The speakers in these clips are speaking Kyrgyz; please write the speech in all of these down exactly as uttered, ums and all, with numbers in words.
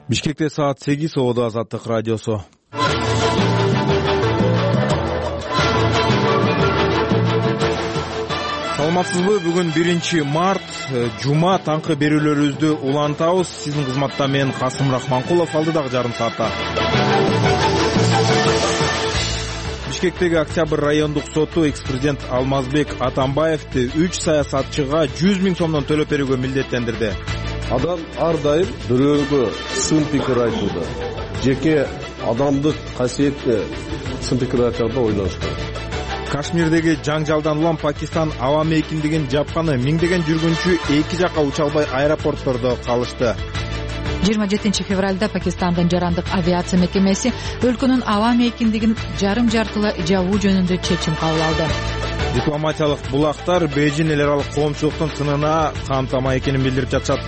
Бишкекте саат сегиз, Ободо Азаттык радиосу. Саламатсызбы? Бүгүн биринчи март, жума, таңкы берүүлөрүбүздү улантабыз. Сиздин кызматта мен Касым Рахманкулов, алдыдагы жарым саатта. Бишкектеги Октябрь райондук соту экс-президент Алмазбек Атамбаевди үч саясатчыга жүз миң сомдон төлөп берүүгө милдеттендирди. Адам ар дайым бирөөгө сын пикир айтууда, жеке адамдык касиетке сын пикир айтарда ойлош керек. Кашмирдеги жаңжалдан улам Пакистан аба мейкиндигин жапканы миңдеген жүргүнчү эки жака уча албай аэропорттордо калышты. жыйырма жетинчи февралда Пакистандын жарандык авиация мекемеси өлкөнүн аба мейкиндигин жарым жартылай жабуу жөнүндө чечим кабыл алды. Дипломатиялык булактар Бейжин эл аралык коомчулуктун сынына камтамай экенин билдирип жатышат.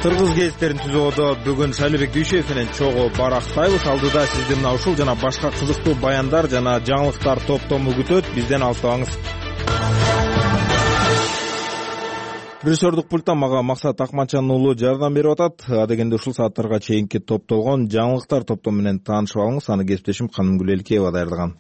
Кыргыз гезиттерин түзүүдө бүгүн Шайлебек Дүйшөев менен чогуу барактайбыз. Алдыда сизди мына ушул жана башка кызыктуу баяндар жана жаңылыктар топтому күтөт. Бизден алыстабаңыз. Режиссердук пульттан мага Максат Акманчан уулу жардам берип атат. Адегенде ушул сааттарга чейинки топтолгон жаңылыктар топтому менен таанышып алыңыз. Аны кесиптешим Канымгүл Элкеева даярдаган.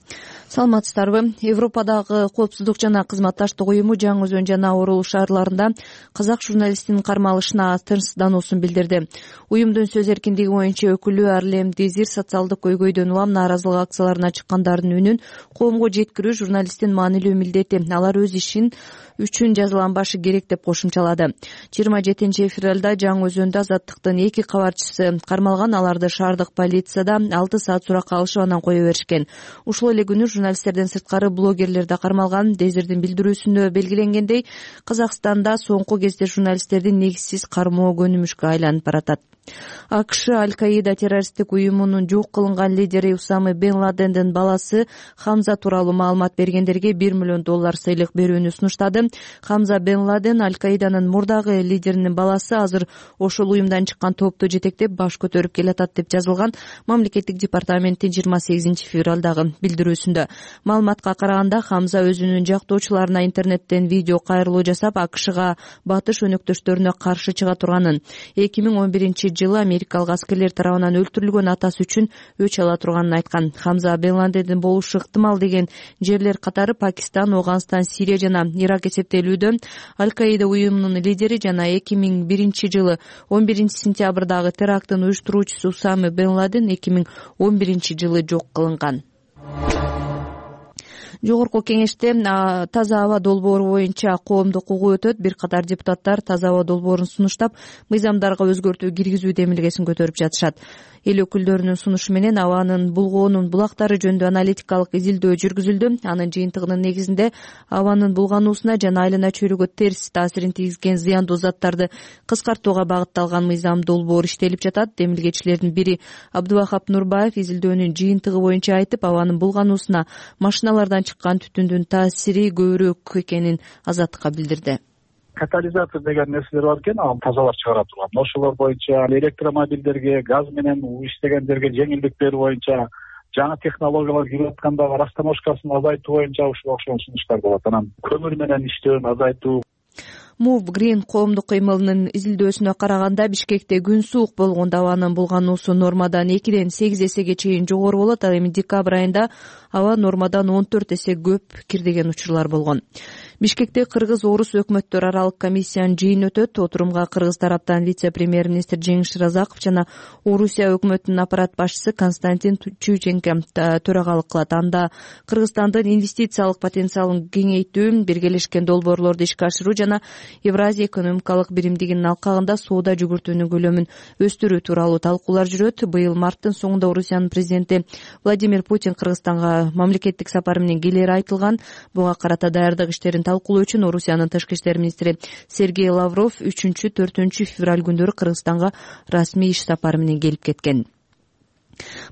Саламатсыздарбы? Европадагы коопсуздук жана кызматташтык уюму Жаңы Өзөн жана Орул шаарларында казак журналистинин кармалышына тынчсыздануусун билдирди. Уюмдун сөз эркиндиги боюнча өкүлү Арлем Дезир социалдык көйгөйдөн улам нааразылык акцияларына чыккандардын үнүн коомго жеткирүү журналисттин маанилүү милдети. Алар өз ишин үчүн жазаланбашы керек деп кошумчалады. жыйырма жетинчи февралда Жаңы Өзөндө Азаттыктын эки кабарчысы кармалган. Аларды шаардык полицияда алты саат суракка алышып анан кое беришкен. Ушул эле күнү журналисттерден сырткары блогерлер да кармалган. Дезирдин билдирүүсүндө белгиленгендей, Казакстанда соңку кезде журналисттердин негизсиз кармоо көнүмүшкө айланып баратат. АКШ Аль-Каида террористтик уюмунун жок кылынган лидери Усама бен Ладендин баласы Хамза тууралуу маалымат бергендерге бир миллион доллар сыйлык берүүнү сунуштады. Хамза бен Ладен Аль-Каиданын мурдагы лидеринин баласы, азыр ошол уюмдан чыккан топту жетектеп баш көтөрүп келатат деп жазылган мамлекеттик департаменттин жыйырма сегизинчи февралдагы билдирүүсүндө. Маалыматка караганда, Хамза өзүнүн жактоочуларына интернеттен видео кайрылуу жасап, АКШга батыш өнөктөштөрүнө каршы чыга турганын, эки миң он биринчи жылы америкалык аскерлер тарабынан өлтүрүлгөн атасы үчүн өч ала турганын айткан. Хамза бен Ладендин болушу ыктымал деген жерлер катары Пакистан, Афганистан, Сирия жана Ирак эсептелүүдө. Аль-Каида уюмунун лидери жана эки миң биринчи жылы он биринчи сентябрдагы теракттын уюштуруучусу Усама бен Ладен эки миң он биринчи жылы жок кылынган. Жогорку кеңеште таза аба долбоору боюнча коомдук угуу өтөт. Бир катар депутаттар таза аба долбоорун сунуштап, мыйзамдарга өзгөртүү киргизүү демилгесин көтөрүп жатышат. Эл өкүлдөрүнүн сунушу менен абанын булгоонун булактары жөнүндө аналитикалык изилдөө жүргүзүлдү. Анын жыйынтыгынын негизинде абанын булгануусуна жана айлана чөйрөгө терс таасирин тийгизген зыяндуу заттарды кыскартууга багытталган мыйзам долбоор иштелип жатат. Демилгечилердин бири Абдубахап Нурбаев изилдөөнүн жыйынтыгы боюнча айтып, абанын булгануусуна машиналардан чыккан түтүндүн таасири көбүрөөк экенин Азаттыкка билдирди. Катализатор деген нерселер бар экен, ал тазалап чыгара турган. Ошолор боюнча электромобилдерге, газ менен иштегендерге жеңилдик берүү боюнча, жаңы технологиялар кирип атканда растаможкасын азайтуу боюнча ушул окшогон сунуштар болот. Анан көмүр менен иштөөнү азайтуу. Move Green коомдук кыймылынын изилдөөсүнө караганда, Бишкекте күн суук болгондо абанын булгануусу нормадан экиден сегиз эсеге чейин жогору болот. Ал эми декабрь айында аба нормадан он төрт эсе көп кирдеген учурлар болгон. Бишкекте кыргыз-орус өкмөттөр аралык комиссиянын жыйыны өтөт. Отурумга кыргыз тараптан вице-премьер-министр Жеңиш Разаков жана Орусия өкмөтүнүн аппарат башчысы Константин Чученко төрагалык кылат. Анда Кыргызстандын инвестициялык потенциалын кеңейтүү, биргелешкен долбоорлорду ишке ашыруу жана Евразия экономикалык биримдигинин алкагында соода жүгүртүүнүн көлөмүн өстүрүү тууралуу талкуулар жүрөт. Быйыл марттын соңунда Орусиянын президенти Владимир Путин Кыргызстанга мамлекеттик сапары менен келери айтылган. Буга карата даярдык иштерин талкуулоо үчүн Орусиянын тышкы иштер министри Сергей Лавров үчүнчү төртүнчү февраль күндөрү Кыргызстанга расмий иш сапары менен келип кеткен.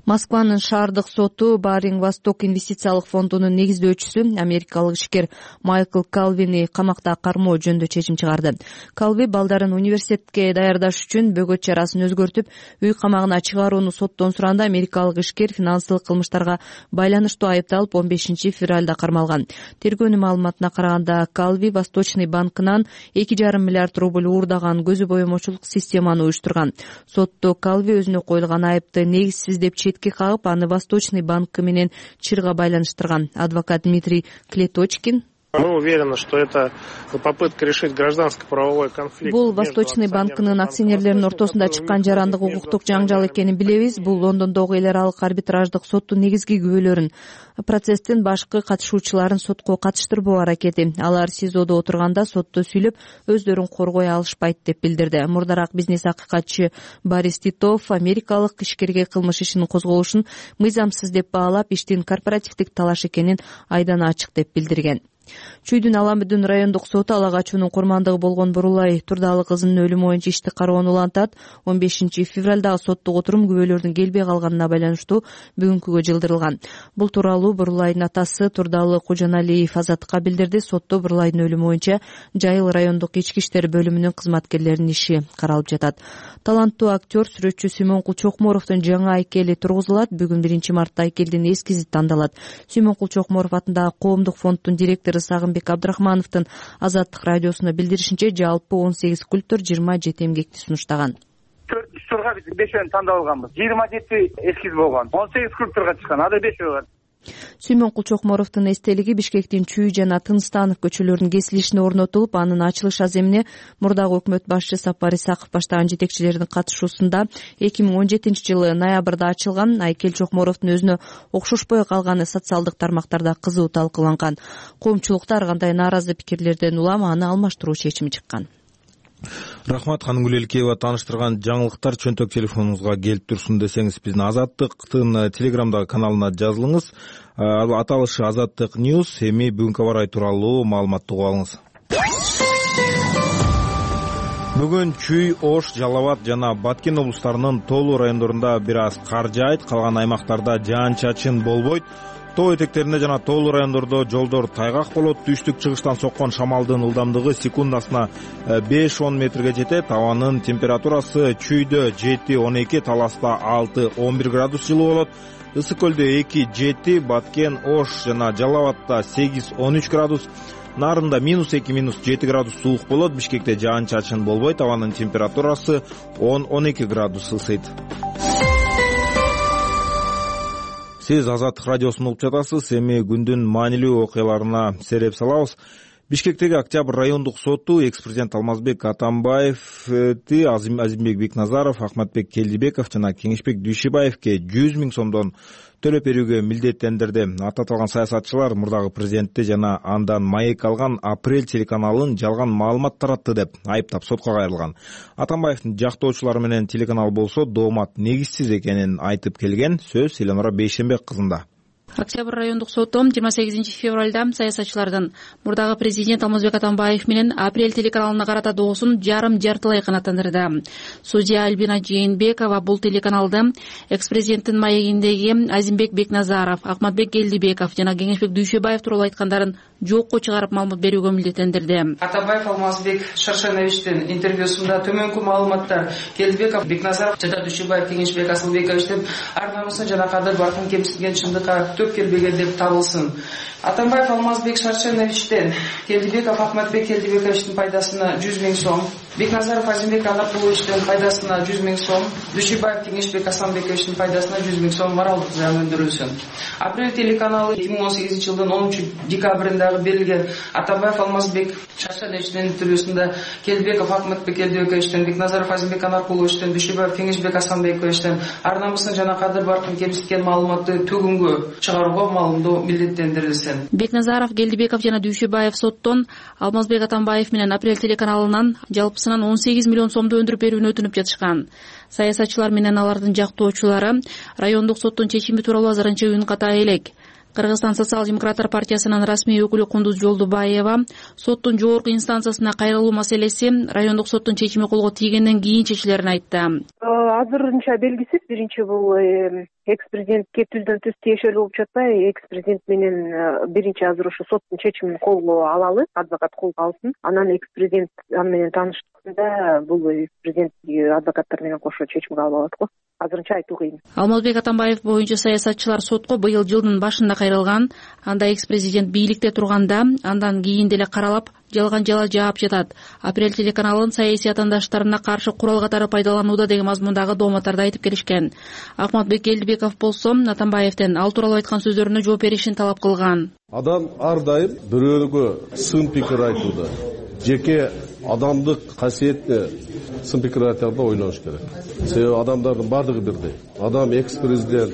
Москванын шаардык соту Баринг Восток инвестициялык фондунун негиздөөчүсү америкалык ишкер Майкл Калвини камакта кармоо жөнүндө чечим чыгарды. Калви балдарын университетке даярдаш үчүн бөгөт чарасын өзгөртүп, үй камагына чыгарууну соттон сураганда америкалык ишкер финансылык кылмыштарга байланыштуу айыпталып он бешинчи февралда кармалган. Тергөөнүн маалыматына караганда Калви Восточный банкынан эки жарым миллиард рубль уурдаган көзү боемочулук системаны уюштурган. Сотто Калви өзүнө коюлган айыпты негизсиз деп четке кагып, аны Восточный банкы менен чырга байланыштырган. Адвокат Дмитрий Клеточкин: Мы уверены, что это попытка решить гражданско-правовой конфликт. Бул Восточный банкынын акционерлеринин ортосунда чыккан жарандык укуктук жаңжал экенин билебиз. Бул Лондондогу эл аралык арбитраждык соттун негизги күбөлөрүн, процесстин башкы катышуучуларын сотко катыштырбоо аракети. Алар СИЗОдо отурганда сотто сүйлөп, өздөрүн коргой алышпайт деп билдирди. Мурдараак бизнес акыйкатчы Борис Титов америкалык ишкерге кылмыш ишинин козголушун мыйзамсыз деп баалап, иштин корпоративдик талаш экенин айдан ачык деп билдирген. Чүйдүн Аламүдүн райондук соту ала качуунун курмандыгы болгон Бурулай Турдалы кызынын өлүмү боюнча ишти кароону улантат. он бешинчи февралдагы соттук отурум күбөлөрдүн келбей калганына байланыштуу бүгүнкүгө жылдырылган. Бул тууралуу Бурулайдын атасы Турдалы Кожоналиев Азаттыкка билдирди. Сотто Бурулайдын өлүмү боюнча Жайыл райондук ички иштер бөлүмүнүн кызматкерлеринин иши каралып жатат. Таланттуу актер, сүрөтчү Сүймөнкул Чокморовдун жаңы айкели тургузулат. Бүгүн биринчи мартта айкелдин эскизи тандалат. Сүймөнкул Чокморов атындагы коомдук фонддун директору Сагынбек Абдрахмановдун Азаттык радиосуна билдиришинче, жалпы он сегиз скульптор жыйырма жети эмгекти сунуштаган. төрт турга биз бешөөнү тандап алганбыз. жыйырма жети эскиз болгон. он сегиз скульпторго чыккан. Ада бешөө бар. Сүймөнкул Чокморовдун эстелиги Бишкектин Чүй жана Тынстанов көчөлөрүнүн кесилишине орнотулуп, анын ачылыш аземине мурдагы өкмөт башчы Сапар Исаков баштаган жетекчилердин катышуусунда эки миң он жетинчи жылы ноябрда ачылган. Айкел Чокморовдун өзүнө окшошпой калганы социалдык тармактарда кызуу талкууланган. Коомчулукта ар кандай нааразы пикирлерден улам аны алмаштыруу чечими чыккан. Рахмат, Ханым Гүлелкеева тааныштырган жаңылыктар чөнтөк телефонуңузга келип турсун десеңиз, биздин Азаттыктын Телеграмдагы каналына жазылыңыз. Аталышы Азаттык Ньюс. Эми бүгүнкү аба ырайы тууралуу маалыматты угуп алыңыз. Бүгүн Чүй, Ош, Жалал Абад жана Баткен облустарынын тоолуу райондорунда бир аз кар жаайт, калган аймактарда жаан-чачын болбойт. Тоо этектеринде жана тоолуу райондордо жолдор тайгак болот. Түштүк-чыгыштан соккон шамалдын ылдамдыгы секундасына беш он метрге жетет. Абанын температурасы Чүйдө жети он эки, Таласта алты он бир градус жылуу болот. Ысык көлдө эки жети, Баткен, Ош жана Жалал Абадта сегиз он үч градус, Нарында минус эки минус жети градус суук болот. Бишкекте жаан-чачын болбойт. Абанын температурасы он он эки градус ысыйт. Сиз Азаттык радиосун угуп жатасыз. Эми күндүн маанилүү окуяларына сереп салабыз. Бишкектеги Октябрь райондук соту экс-президент Алмазбек Атамбаевди Азимбек Бекназаров, Ахматбек Келдибеков жана Кеңешбек Дүйшөбаевке жүз миң сомдон төлөп берүүгө милдеттендирди. Аттатылган саясатчылар мурдагы президентти жана андан маек алган Апрель телеканалын жалган маалымат таратты деп айыптап сотко кайрылган. Атамбаевдин жактоочулары менен телеканал болсо доомат негизсиз экенин айтып келген. Сөз Эленора Бейшенбек кызында. Октябрь райондук соту жыйырма сегизинчи февралда саясатчылардын мурдагы президент Алмазбек Атамбаев менен Апрель телеканалына карата доосун жарым жартылай канааттандырды. Судья Альбина Жээнбекова бул телеканалды экс-президенттин маегиндеги Азимбек Бекназаров, Ахматбек Келдибеков жана Кеңешбек Дүйшөбаев тууралуу айткандарын жокко чыгарып маалымат берүүгө милдеттендирди. Атамбаев Алмазбек Шаршеновичтин интервьюсунда төмөнкү маалыматтар Келдибеков, Бекназаров жана Дүйшөбаев Кеңешбек Асылбековичтин ар намысын жана кадыр баркын кемсинген чындыкка төп келбеген деп табылсын. Атамбаев Алмазбек Шаршеновичтен Келдибеков Ахматбек Келдибековичтин пайдасына жүз миң сом, Бекназаров Азимбек Анаркуловичтин пайдасына жүз миң сом, Дүйшөбаев Кеңешбек Асанбековичтин пайдасына жүз миң сом моралдык зыян өндүрүлсүн. Апрель телеканалы эки миң он сегизинчи жылдын онунчу декабрындагы берилген Атамбаев Алмазбек Шаршеновичтин интервьюсунда Келдибеков Ахматбек Келдибековичтен, Бекназаров Азимбек Анаркуловичтен, Дүйшөбаев Кеңешбек Асанбековичтен ар намысын жана кадыр баркын кемситкен маалыматты төгүнгө чыгарууга маалымдоо милдеттендирилсин. Бекназаров, Келдибеков жана Дүйшөбаев соттон Алмазбек Атамбаев менен Апрель телеканалынан жалпысынан он сегиз миллион сомду өндүрүп берүүнү өтүнүп жатышкан. Саясатчылар менен алардын жактоочулары райондук соттун чечими тууралуу азырынча үн ката элек. Кыргызстан социал-демократтар партиясынын расмий өкүлү Кундуз Жолдубаева соттун жогорку инстанциясына кайрылуу маселеси райондук соттун чечими колго тийгенден кийин чечилерин айтты. Азырынча белгисиз. Биринчи бул экс президентке түздөн түз тиешелүү болуп жатпайбы? Экс президент менен биринчи азыр ошо соттун чечимин колго алалы, адвокат колго алсын. Анан экс президент аны менен тааныштыкта бул экс президент адвокаттар менен кошо чечим кабыл алат го. Азырынча айтуу кыйын. Алмазбек Атамбаев боюнча саясатчылар сотко быйыл жылдын башында кайрылган. Анда экс президент бийликте турганда, андан кийин деле каралап, жалган жала жаап жатат. Апрель телеканалынын саясий атаандаштарына каршы курал катары пайдаланууда деген мазмундагы дооматтарды айтып келишкен. Акматбек Элдибеков болсо Атамбаевден ал тууралуу айткан сөздөрүнө жооп беришин талап кылган. Адам ар дайым бирөөгө сын пикир айтууда, жеке адамдык касиетти сын пикир айтарда ойлош керек. Себеби адамдардын бардыгы бирдей. Адам экс президент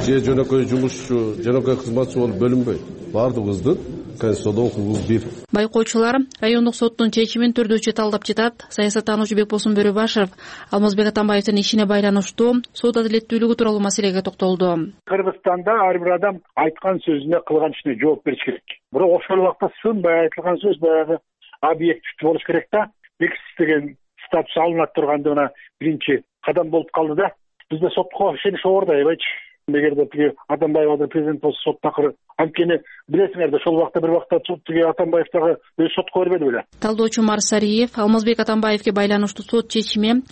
же жөнөкөй жумушчу, жөнөкөй кызматчы болуп бөлүнбөйт. Бардыгыбыздын конституцияда укугубуз бир. Байкоочулар райондук соттун чечимин түрдүүчү талдап жатат. Саясаттануучу Бекбосун Бөрөбашев Алмазбек Атамбаевдин ишине байланыштуу сот адилеттүүлүгү тууралуу маселеге токтолду. Кыргызстанда ар бир адам айткан сөзүнө, кылган ишине жооп бериш керек. Бирок ошол убакта сынбай айтылган сөз баягы объективдүү болуш керек да. Экс деген статус алынат турганда мына биринчи кадам болуп калды да. Бизде сотко ишенич оор аябайчы. Эгерде тиги Атамбаев азыр президент болсо сот такыр анткени билесиңер да ошол убакта бир убакта тиги Атамбаев дагы өз сотко бербеди беле. Талдоочу Марсариев Алмазбек Атамбаевге байланыштуу сот чечими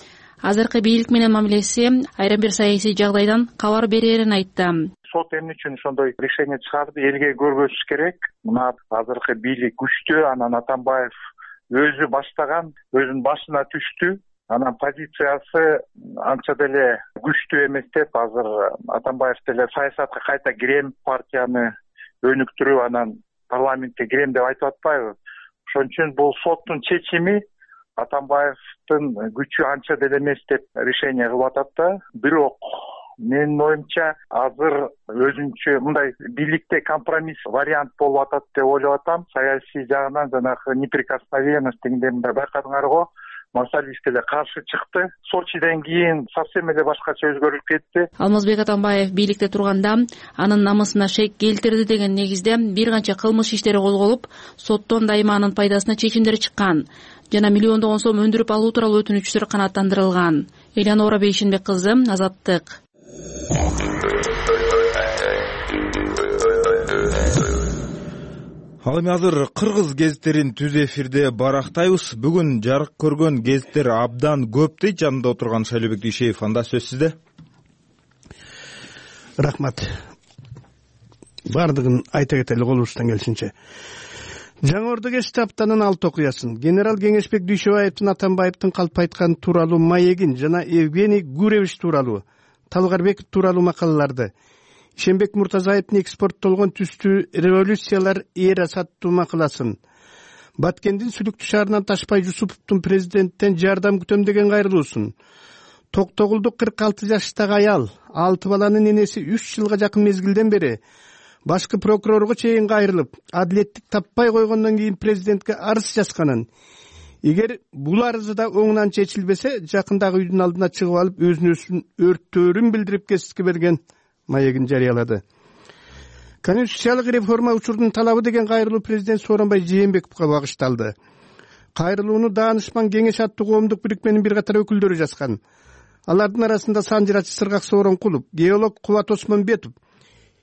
азыркы бийлик менен мамилеси айрым бир саясий жагдайдан кабар берерин айтты. Сот эмне үчүн ошондой решение чыгарды, элге көргөзүш керек. Мына азыркы бийлик күчтүү, анан Атамбаев өзү баштаган, өзүнүн башына түштү. Анан позициясы анча деле күчтүү эмес деп азыр Атамбаев деле саясатка кайта кирем, партияны өнүктүрүп анан парламентке кирем деп айтып атпайбы? Ошон үчүн бул соттун чечими Атамбаевдин күчү анча деле эмес деп решение кылып атат да. Бирок менин оюмча азыр өзүнчө мындай бийликте компромисс вариант болуп атат деп ойлоп атам. Саясий жагынан жанагы неприкосновенность дегенде мындай байкадыңар го. Марсалиев деле каршы чыкты. Сочиден кийин совсем эле башкача өзгөрүлүп кетти. Алмазбек Атамбаев бийликте турганда анын намысына шек келтирди деген негизде бир канча кылмыш иштери козголуп, соттон дайыма анын пайдасына чечимдер чыккан жана миллиондогон сом өндүрүп алуу тууралуу өтүнүчтөр канааттандырылган. Элянора Бейшинбек кызы, Азаттык. Ал эми азыр кыргыз гезиттерин түз эфирде барактайбыз. Бүгүн жарык көргөн гезиттер абдан көп дейт. Жанында отурган Шайлообек Дүйшеев, анда сөз сизде. Рахмат. Бардыгын айта кетели колубуздан келишинче. Жаңы Ордо штабтанын алты окуясын, генерал Кеңешбек Дүйшөбаевдин Атамбаевдин калп айткан тууралуу маегин жана Евгений Гуревич тууралуу, Талгарбеков тууралуу макалаларды, Ишенбек Муртазаевдин экспорттолгон түстүү революциялар эра саттуу макаласын, Баткендин Сүлүктүү шаарынан Ташпай Жусуповдун президенттен жардам күтөм деген кайрылуусун, Токтогулдук кырк алты жаштагы аял, алты баланын энеси үч жылга жакын мезгилден бери башкы прокурорго чейин кайрылып, адилеттик таппай койгондон кийин президентке арыз жазганын, эгер бул арызы да оңунан чечилбесе, жакындагы үйдүн алдына чыгып алып өзүн өзүн өрттөөрүн билдирип кесипке берген маегин жарыялады. Конституциялык реформа учурунун талабы деген кайрылуу президент Сооронбай Жээнбековго багышталды. Кайрылууну Даанышман кеңеш аттуу коомдук бирикменин бир катар өкүлдөрү жазган. Алардын арасында санжырачы Сыргак Сооронкулов, геолог Кубат Осмонбетов,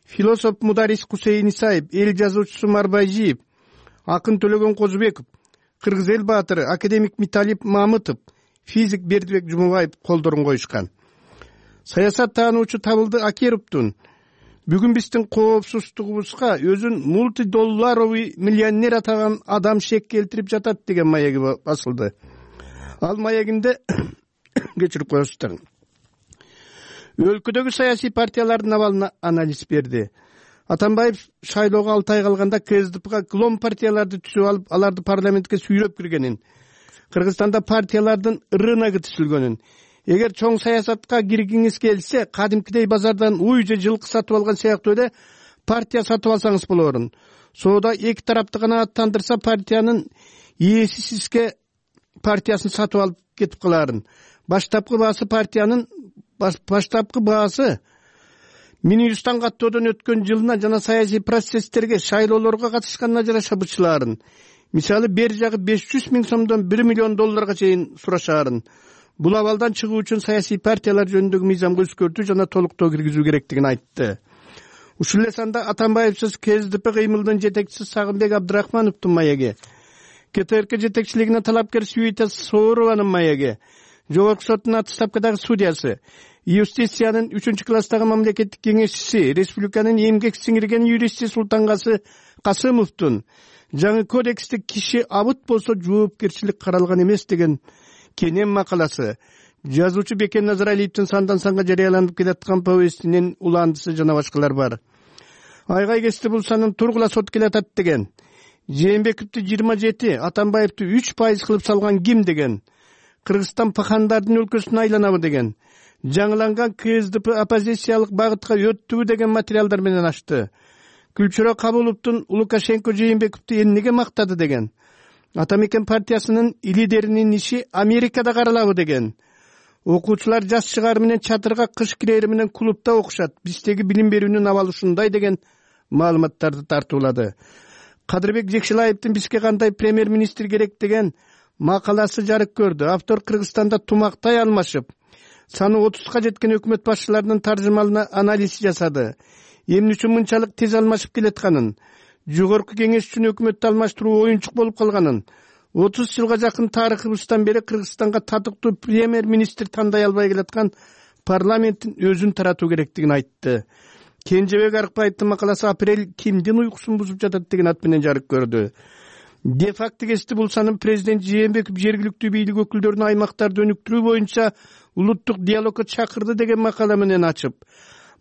философ Мударис Кусейин Исаев, эл жазуучусу Марбайжиев, акын Төлөгөн Козубеков, кыргыз эл баатыры академик Миталип Мамытов, физик Бердибек Жумабаев колдорун коюшкан. Саясат таануучу Табылды Акеровдун бүгүн биздин коопсуздугубузга өзүн мультидолларовый миллионер атаган адам шек келтирип жатат деген маеги басылды. Ал маегинде кечирип коесуздар. Өлкөдөгү саясий партиялардын абалына анализ берди. Атамбаев шайлоого алты ай калганда КСДПга клон партияларды түзүп алып, аларды парламентке сүйрөп киргенин, Кыргызстанда партиялардын рыногу түзүлгөнүн, эгер чоң саясатка киргиңиз келсе, кадимкидей базардан уй же жылкы сатып алган сыяктуу эле партия сатып алсаңыз болорун. Соода эки тарапты канааттандырса, партиянын ээси сизге партиясын сатып алып кетип каларын. Баштапкы баасы партиянын баштапкы баасы Минюстан каттоодон өткөн жылына жана саясий процесстерге, шайлоолорго катышканына жараша бычылаарын. Мисалы, бер жагы беш жүз миң сомдон бир миллион долларга чейин сурашаарын. бул абалдан чыгуу үчүн саясий партиялар жөнүндөгү мыйзамга өзгөртүү жана толуктоо киргизүү керектигин айтты. Ушул эле санда Атамбаевсиз КСДП кыймылдын жетекчиси Сагынбек Абдрахмановдун маеги, КТРК жетекчилигине талапкер Света Соорованын маеги, Жогорку соттун отставкадагы судьясы, юстициянын үчүнчү класстагы мамлекеттик кеңешчиси, республиканын эмгек сиңирген юристи Султангасы Касымовдун жаңы кодексте киши абыт болсо жоопкерчилик каралган эмес деген кенен макаласы, жазуучу Бекен Назаралиевдин сандан санга жарыяланып келаткан повестинин уландысы жана башкалар бар. Айгай кести булсанын тургула сот келатат деген, Жээнбековду жыйырма жети, Атамбаевду үч пайыз кылып салган ким деген, Кыргызстан пахандардын өлкөсүнө айланабы деген, жаңыланган КСДП оппозициялык багытка өттүбү деген материалдар менен ачты. Күлчүрө Кабуловдун Лукашенко Жээнбековду эмнеге мактады деген, Атамекен партиясынын лидеринин иши Америкада каралабы деген, окуучулар жаз чыгары менен чатырга, кыш кирери менен клубда окушат, биздеги билим берүүнүн абалы ушундай деген маалыматтарды тартуулады. Кадырбек Жекшилаевдин бизге кандай премьер-министр керек деген макаласы жарык көрдү. Автор Кыргызстанда тумактай алмашып, саны отузга жеткен өкмөт башчыларынын таржымалына анализ жасады. Эмне үчүн мынчалык тез алмашып келатканын, жогорку кеңеш үчүн өкмөттү алмаштыруу оюнчук болуп калганын, отуз жылга жакын тарыхыбыздан бери Кыргызстанга татыктуу премьер-министр тандай албай келаткан парламенттин өзүн таратуу керектигин айтты. Кенжебек Арыкбаевдин макаласы апрель кимдин уйкусун бузуп жатат деген ат менен жарык көрдү. Де факто кести булсанын президент Жээнбеков жергиликтүү бийлик өкүлдөрүн аймактарды өнүктүрүү боюнча улуттук диалогко чакырды деген макала менен ачып,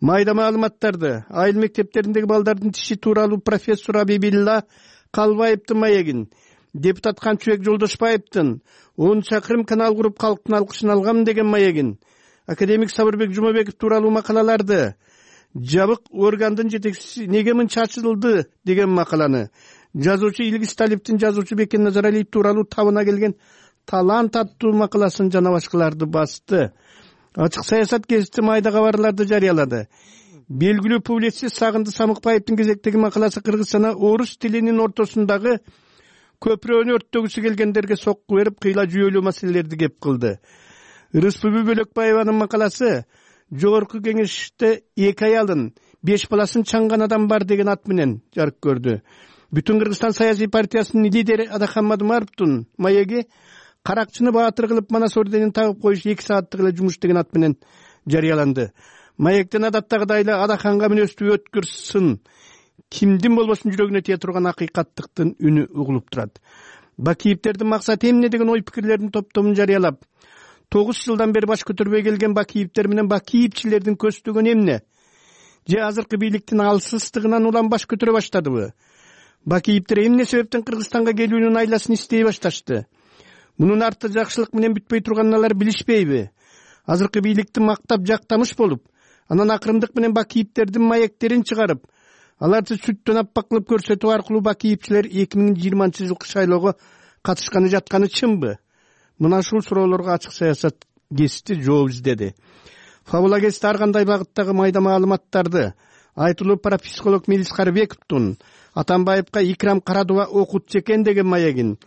майда маалыматтарды, айыл мектептериндеги балдардын тиши тууралуу профессор Абибилла Калбаевдин маегин, депутат Канчыбек Жолдошбаевдин он чакырым канал куруп калктын алкышын алгам деген маегин, академик Сабырбек Жумабеков тууралуу макалаларды, жабык органдын жетекчиси неге мынча ачылды деген макаланы, жазуучу Илгиз Талиптин жазуучу Бекен Назаралиев тууралуу табына келген талант аттуу макаласын жана башкаларды басты. Ачык саясат гезити майда кабарларды жарыялады. Белгилүү публицист Сагынды Самыкбаевдин кезектеги макаласы Кыргызстана орус тилинин ортосундагы көпүрөнү өрттөгүсү келгендерге сокку берип, кыйла жүйөлүү маселелерди кеп кылды. Рыспүбү Бөлөкбаеванын макаласы жогорку кеңеште эки аялын, беш баласын чаңган адам бар деген ат менен жарык көрдү. Бүтүн Кыргызстан саясий партиясынын лидери Адахан Мадумаровдун маеги каракчыны баатыр кылып Манас орденин тагып коюш эки сааттык эле жумуш деген ат менен жарыяланды. Маектен адаттагыдай эле Адаханга мүнөздүү өткүр сын, кимдин болбосун жүрөгүнө тие турган акыйкаттыктын үнү угулуп турат. Бакиевдердин максаты эмне деген ой пикирлердин топтомун жарыялап, тогуз жылдан бери баш көтөрбөй келген Бакиевдер менен Бакиевчилердин көздөгөнү эмне? Же азыркы бийликтин алсыздыгынан улам баш көтөрө баштадыбы? Бакиевдер эмне себептен Кыргызстанга келүүнүн айласын издей башташты? Мунун арты жакшылык менен бүтпөй турганын алар билишпейби? Азыркы бийликти мактап жактамыш болуп, анан акырымдык менен Бакиевдердин маектерин чыгарып, аларды сүттөн аппак кылып көрсөтүү аркылуу Бакиевчилер эки миң жыйырманчы жылкы шайлоого катышканы жатканы чынбы? Мына ушул суроолорго ачык саясат гезити жооп издеди. Фабула гезити ар кандай багыттагы майда маалыматтарды айтылуу парапсихолог Мелис Карыбековдун Атамбаевка Икрам Карадова окутчу экен деген маегин,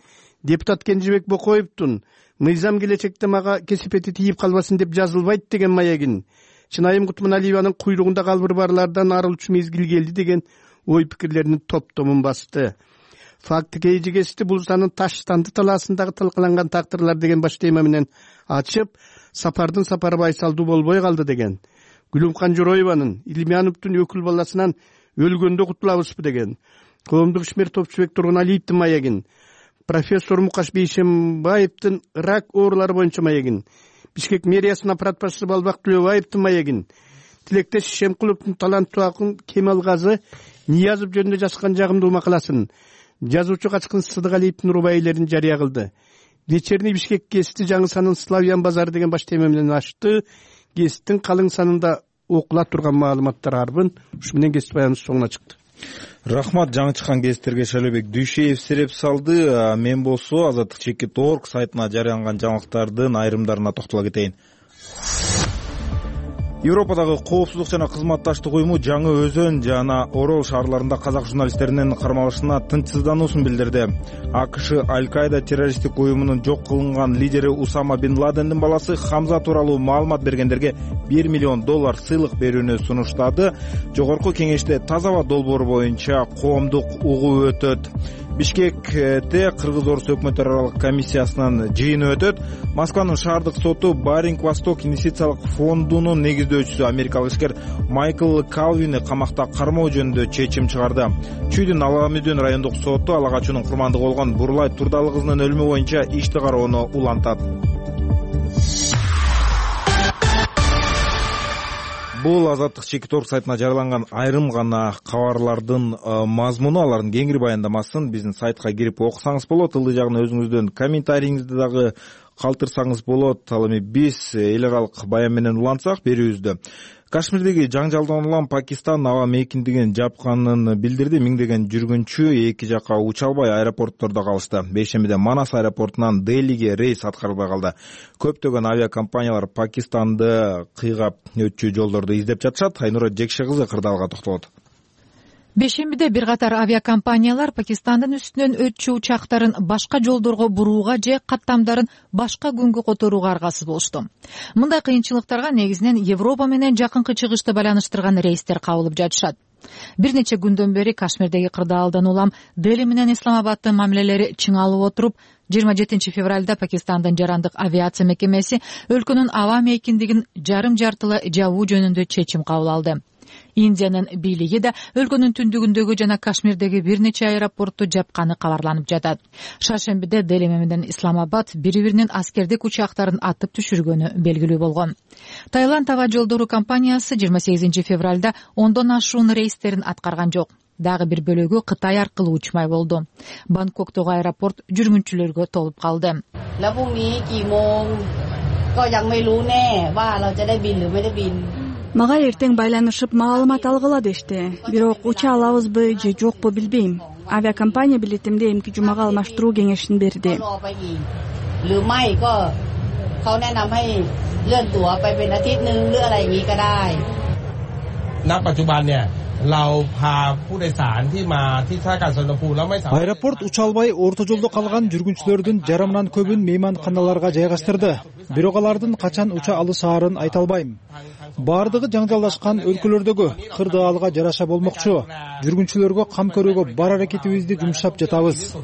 депутат Кенжебек Бокоевдун мыйзам келечекте мага кесепети тийип калбасын деп жазылбайт деген маегин, Чынайым Кутманалиеванын куйругунда калбыр барлардан арылчу мезгил келди деген ой пикирлеринин топтомун басты. Факты кейжи кести булсанын Таштанды талаасындагы талкаланган тактырлар деген баш тема менен ачып, сапардын сапары байсалдуу болбой калды деген. Гүлүмкан Жороеванын Илмяновдун өкүл баласынан өлгөндө кутулабызбы деген. Коомдук ишмер Топчубек Тургуналиевдин маегин, профессор Мукаш Бейшембаевдин рак оорулары боюнча маегин, Бишкек мэриясынын аппарат башчысы Балбак Төлөбаевдин маегин, тилектеш Шемкуловдун таланттуу акын Кемалгазы Ниязов жөнүндө жазган жагымдуу макаласын, жазуучу Качкын Сыдыгалиевдин рубайлерин жарыя кылды. Вечерний Бишкек гезити жаңы санын Славян базары деген баш тема менен ачты. Гезиттин калың санында окула турган маалыматтар арбын. Ушу менен гезит баяныбыз соңуна чыкты. Рахмат, жаңы чыккан гезиттерге Шайлообек Дүйшеев сереп салды. Мен болсо азаттык чекит точка орг сайтына жарыяланган жаңылыктардын айрымдарына токтоло кетейин. Европадагы коопсуздук жана кызматташтык уюму Жаңы Өзөн жана Орол шаарларында казак журналисттеринин кармалышына тынчсыздануусун билдирди. АКШ Аль-Каида террористтик уюмунун жок кылынган лидери Усама бин Ладендин баласы Хамза тууралуу маалымат бергендерге бир миллион доллар сыйлык берүүнү сунуштады. Жогорку кеңеште таза аба долбоору боюнча коомдук угуу өтөт. Бишкекте Кыргыз-Орус өкмөттөр аралык комиссиясынын жыйыны өтөт. Москванын шаардык соту Баринг Восток инвестициялык фондунун негиздөөчүсү америкалык ишкер Майкл Калвини камакта кармоо жөнүндө чечим чыгарды. Чүйдүн Аламүдүн райондук соту ала качуунун курмандыгы болгон Бурлай Турдалы кызынын өлүмү боюнча ишти кароону улантат. Бул Азаттык Чекитор сайтына жарыяланган айрым гана кабарлардын мазмуну, алардын кеңири баяндамасын биздин сайтка кирип окусаңыз болот. Ылдый жагына өзүңүздөн комментарийиңизди дагы калтырсаңыз болот. Ал эми биз эл аралык баян менен улантсак берүүбүздө. Кашмирдеги жаңжалдан улам Пакистан аба мейкиндигин жапканын билдирди. Миңдеген жүргүнчү эки жака уча албай аэропорттордо калышты. Бейшембиде Манас аэропортунан Делиге рейс аткарылбай калды. Көптөгөн авиакомпаниялар Пакистанды кыйгап өтчү жолдорду издеп жатышат. Айнура Жекше кызы кырдаалга токтолот. Бейшембиде бир катар авиакомпаниялар Пакистандын үстүнөн өтчү учактарын башка жолдорго бурууга же каттамдарын башка күнгө которууга аргасыз болушту. Мындай кыйынчылыктарга негизинен Европа менен жакынкы чыгышты байланыштырган рейстер кабылып жатышат. Бир нече күндөн бери Кашмирдеги кырдаалдан улам Дели менен Исламабадтын мамилелери чыңалып отуруп, жыйырма жетинчи февралда Пакистандын жарандык авиация мекемеси өлкөнүн аба мейкиндигин жарым жартылай жабуу жөнүндө чечим кабыл алды. Индиянын бийлиги да өлкөнүн түндүгүндөгү жана Кашмирдеги бир нече аэропортту жапканы кабарланып жатат. Шаршембиде Дели менен Исламабад бири-биринин аскердик учактарын атып түшүргөнү белгилүү болгон. Таиланд аба жолдору компаниясы жыйырма сегизинчи февралда ондон ашуун рейстерин аткарган жок. Дагы бир бөлүгү Кытай аркылуу учмай болду. Бангкоктогу аэропорт жүргүнчүлөргө толуп калды. Мага эртең байланышып маалымат алгыла дешти. Бирок уча алабызбы же жокпу билбейм. Авиакомпания билетимди эмки жумага алмаштыруу кеңешин берди. Аэропорт уча албай орто жолдо калган жүргүнчүлөрдүн жарымынан көбүн мейманканаларга жайгаштырды. Бирок алардын качан уча алышаарын айта албайм. Бардыгы жаңжалдашкан өлкөлөрдөгү кырдаалга жараша болмокчу. Жүргүнчүлөргө кам көрүүгө бар аракетибизди жумшап жатабыз.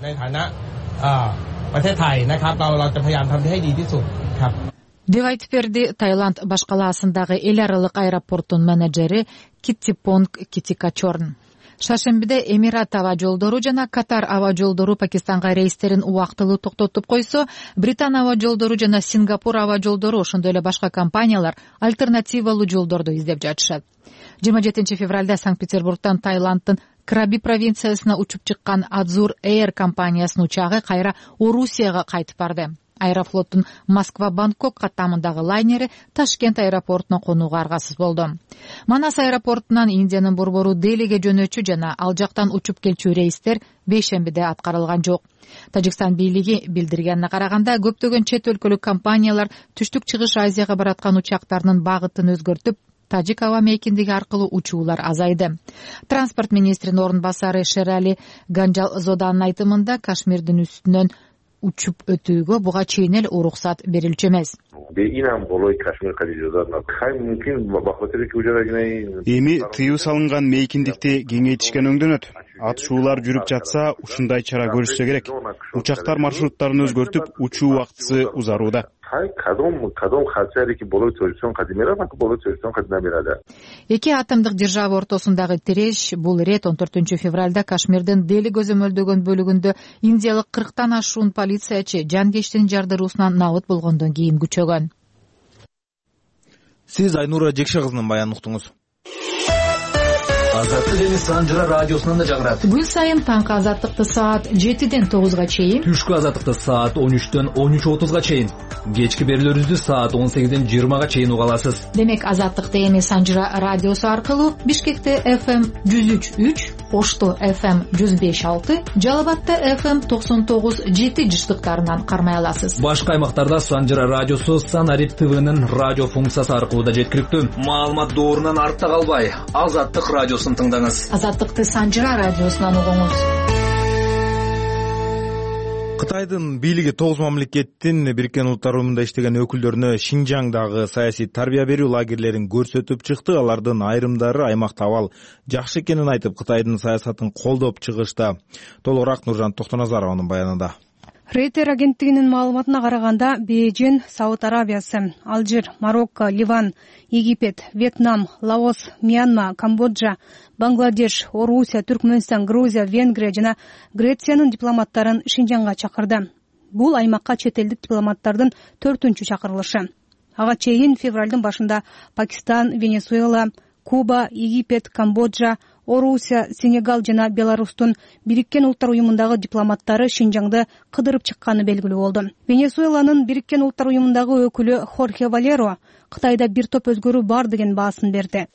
деп айтып берди Таиланд баш калаасындагы эл аралык аэропорттун менеджери Киттипонг Китикачорн. Шаршембиде Эмират аба жолдору жана Катар аба жолдору Пакистанга рейстерин убактылуу токтотуп койсо, Британ аба жолдору жана Сингапур аба жолдору ошондой эле башка компаниялар альтернативалуу жолдорду издеп жатышат. жыйырма жетинчи февралда Санкт-Петербургдон Таиланддын Краби провинциясына учуп чыккан Азур Air компаниясынын учагы кайра Орусияга кайтып барды. Аэрофлоттун Москва-Бангкок каттамындагы лайнери Ташкент аэропортуна конууга аргасыз болду. Манас аэропортунан Индиянын борбору Делиге жөнөчү жана ал жактан учуп келчү рейстер бейшембиде аткарылган жок. Тажикстан бийлиги билдиргенине караганда, көптөгөн чет өлкөлүк компаниялар түштүк чыгыш Азияга бараткан учактарынын багытын өзгөртүп, Тажик аба мейкиндиги аркылуу учуулар азайды. Транспорт министринин орун басары Шерали Ганжалзоданын айтымында, Кашмирдин үстүнөн учуп өтүүгө буга чейин эле уруксат берилчү эмес. Эми тыюу салынган мейкиндикти кеңейтишкен өңдөнөт. Атышуулар жүрүп жатса, ушундай чара көрүлсө керек. Учактар маршруттарын өзгөртүп, учуу убактысы узарууда. Эки атомдук держава ортосундагы тиреш бул ирет он төртүнчү февралда Кашмирдин Дели көзөмөлдөгөн бөлүгүндө индиялык кырктан ашуун полициячы жанкечтин жардыруусунан набыт болгондон кийин күчөгөн. Сиз Айнура Жекше кызынын баянын уктуңуз. Азаттык эми Санжыра радиосунан да жагырат. Күн сайын таңкы азаттыкты саат жетиден тогузга чейин, түшкү азаттыкты саат он үчтөн он үч отузга чейин, кечки берүүлөрүбүздү саат он сегизден жыйырмага чейин уга аласыз. Демек азаттыкты эми Санжыра радиосу аркылуу Бишкекте эф эм жүз үч үч, Ошто эф эм жүз беш алты, Жалал Абадта эф эм токсон тогуз жети жыштыктарынан кармай аласыз. Башка аймактарда Санжыра радиосу Санарип ТВнын радио функциясы аркылуу да жеткиликтүү. Маалымат доорунан артта калбай, Азаттык радиосун тыңдаңыз. Азаттыкты Санжыра радиосунан угуңуз. Кытайдын бийлиги тогуз мамлекеттин Бириккен Улуттар Уюмунда иштеген өкүлдөрүнө Шинжаңдагы саясий тарбия берүү лагерлерин көрсөтүп чыкты. Алардын айрымдары аймакта абал жакшы экенин айтып, Кытайдын саясатын колдоп чыгышты. Толугураак Нуржан Токтоназарованын баянында. Рейтер агенттигинин маалыматына караганда, Бейжин, Сауд Арабиясы, Алжир, Марокко, Ливан, Египет, Вьетнам, Лаос, Мьянма, Камбоджа, Бангладеш, Орусия, Түркмөнстан, Грузия, Венгрия жана Грециянын дипломаттарын Шинжаңга чакырды. Бул аймакка чет элдик дипломаттардын төртүнчү чакырылышы. Ага чейин февралдын башында Пакистан, Венесуэла, Куба, Египет, Камбоджа, Орусия, Сенегал жана Беларустун Бириккен Улуттар Уюмундагы дипломаттары Шинжаңды кыдырып чыкканы белгилүү болду. Венесуэланын Бириккен Улуттар Уюмундагы өкүлү Хорхе Валеро Кытайда бир топ өзгөрүү бар деген баасын берди.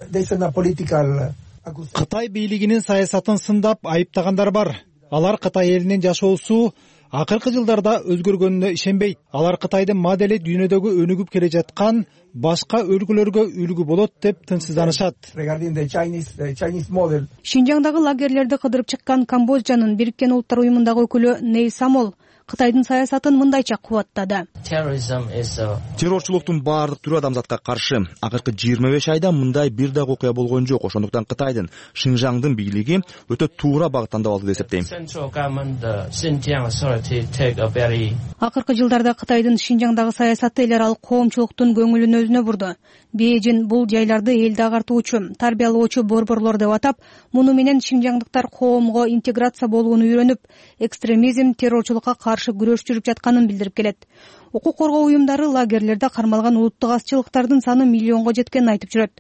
Кытай бийлигинин саясатын сындап айыптагандар бар. Алар Кытай элинин жашоосу акыркы жылдарда өзгөргөнүнө ишенбейт. Алар Кытайдын модели дүйнөдөгү өнүгүп келе жаткан башка өлкөлөргө үлгү болот деп тынчсызданышат. Шинжаңдагы лагерлерди кыдырып чыккан Камбоджанын Бириккен Улуттар Уюмундагы өкүлү Ней Самол Кытайдын саясатын мындайча кубаттады. Террорчулуктун баардык түрү адамзатка каршы. Акыркы жыйырма беш айда мындай бир дагы окуя болгон жок. Ошондуктан Кытайдын Шинжаңдын бийлиги өтө туура багыт тандап алды деп эсептейм. Акыркы жылдарда Кытайдын Шинжаңдагы саясаты эл аралык коомчулуктун көңүлүн өзүнө бурду. Бейжин бул жайларды элди агартуучу, тарбиялоочу борборлор деп атап, муну менен шинжаңдыктар коомго интеграция болууну үйрөнүп, экстремизм, террорчулукка каршы күрөш жүрүп жатканын билдирип келет. Укук коргоо уюмдары лагерлерде кармалган улуттук азчылыктардын саны миллионго жеткенин айтып жүрөт.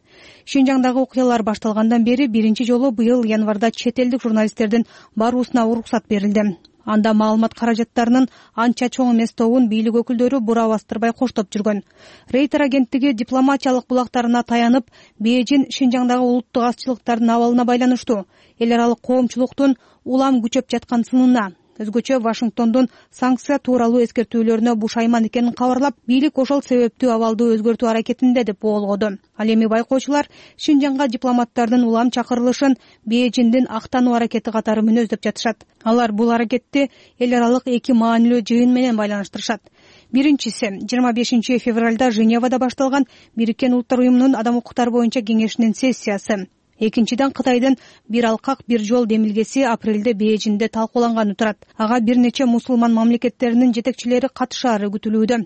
Шинжаңдагы окуялар башталгандан бери биринчи жолу быйыл январда чет элдик журналисттердин баруусуна уруксат берилди. Анда маалымат каражаттарынын анча чоң эмес тобун бийлик өкүлдөрү бура бастырбай коштоп жүргөн. Рейтер агенттиги дипломатиялык булактарына таянып, Бейжин Шинжаңдагы улуттук азчылыктардын абалына байланыштуу эл аралык коомчулуктун улам күчөп жаткан сынына, өзгөчө Вашингтондун санкция тууралуу эскертүүлөрүнө бушайман экенин кабарлап, бийлик ошол себептүү абалды өзгөртүү аракетинде деп боолгоду. Ал эми байкоочулар Шинжаңга дипломаттардын улам чакырылышын Бейжиндин актануу аракети катары мүнөздөп жатышат. Алар бул аракетти эл аралык эки маанилүү жыйын менен байланыштырышат. Биринчиси жыйырма бешинчи февралда Женевада башталган Бириккен Улуттар Уюмунун адам укуктары боюнча кеңешинин сессиясы. Экинчиден Кытайдын бир алкак бир жол демилгеси апрелде Бейжинде талкууланганы турат. Ага бир нече мусулман мамлекеттеринин жетекчилери катышаары күтүлүүдө.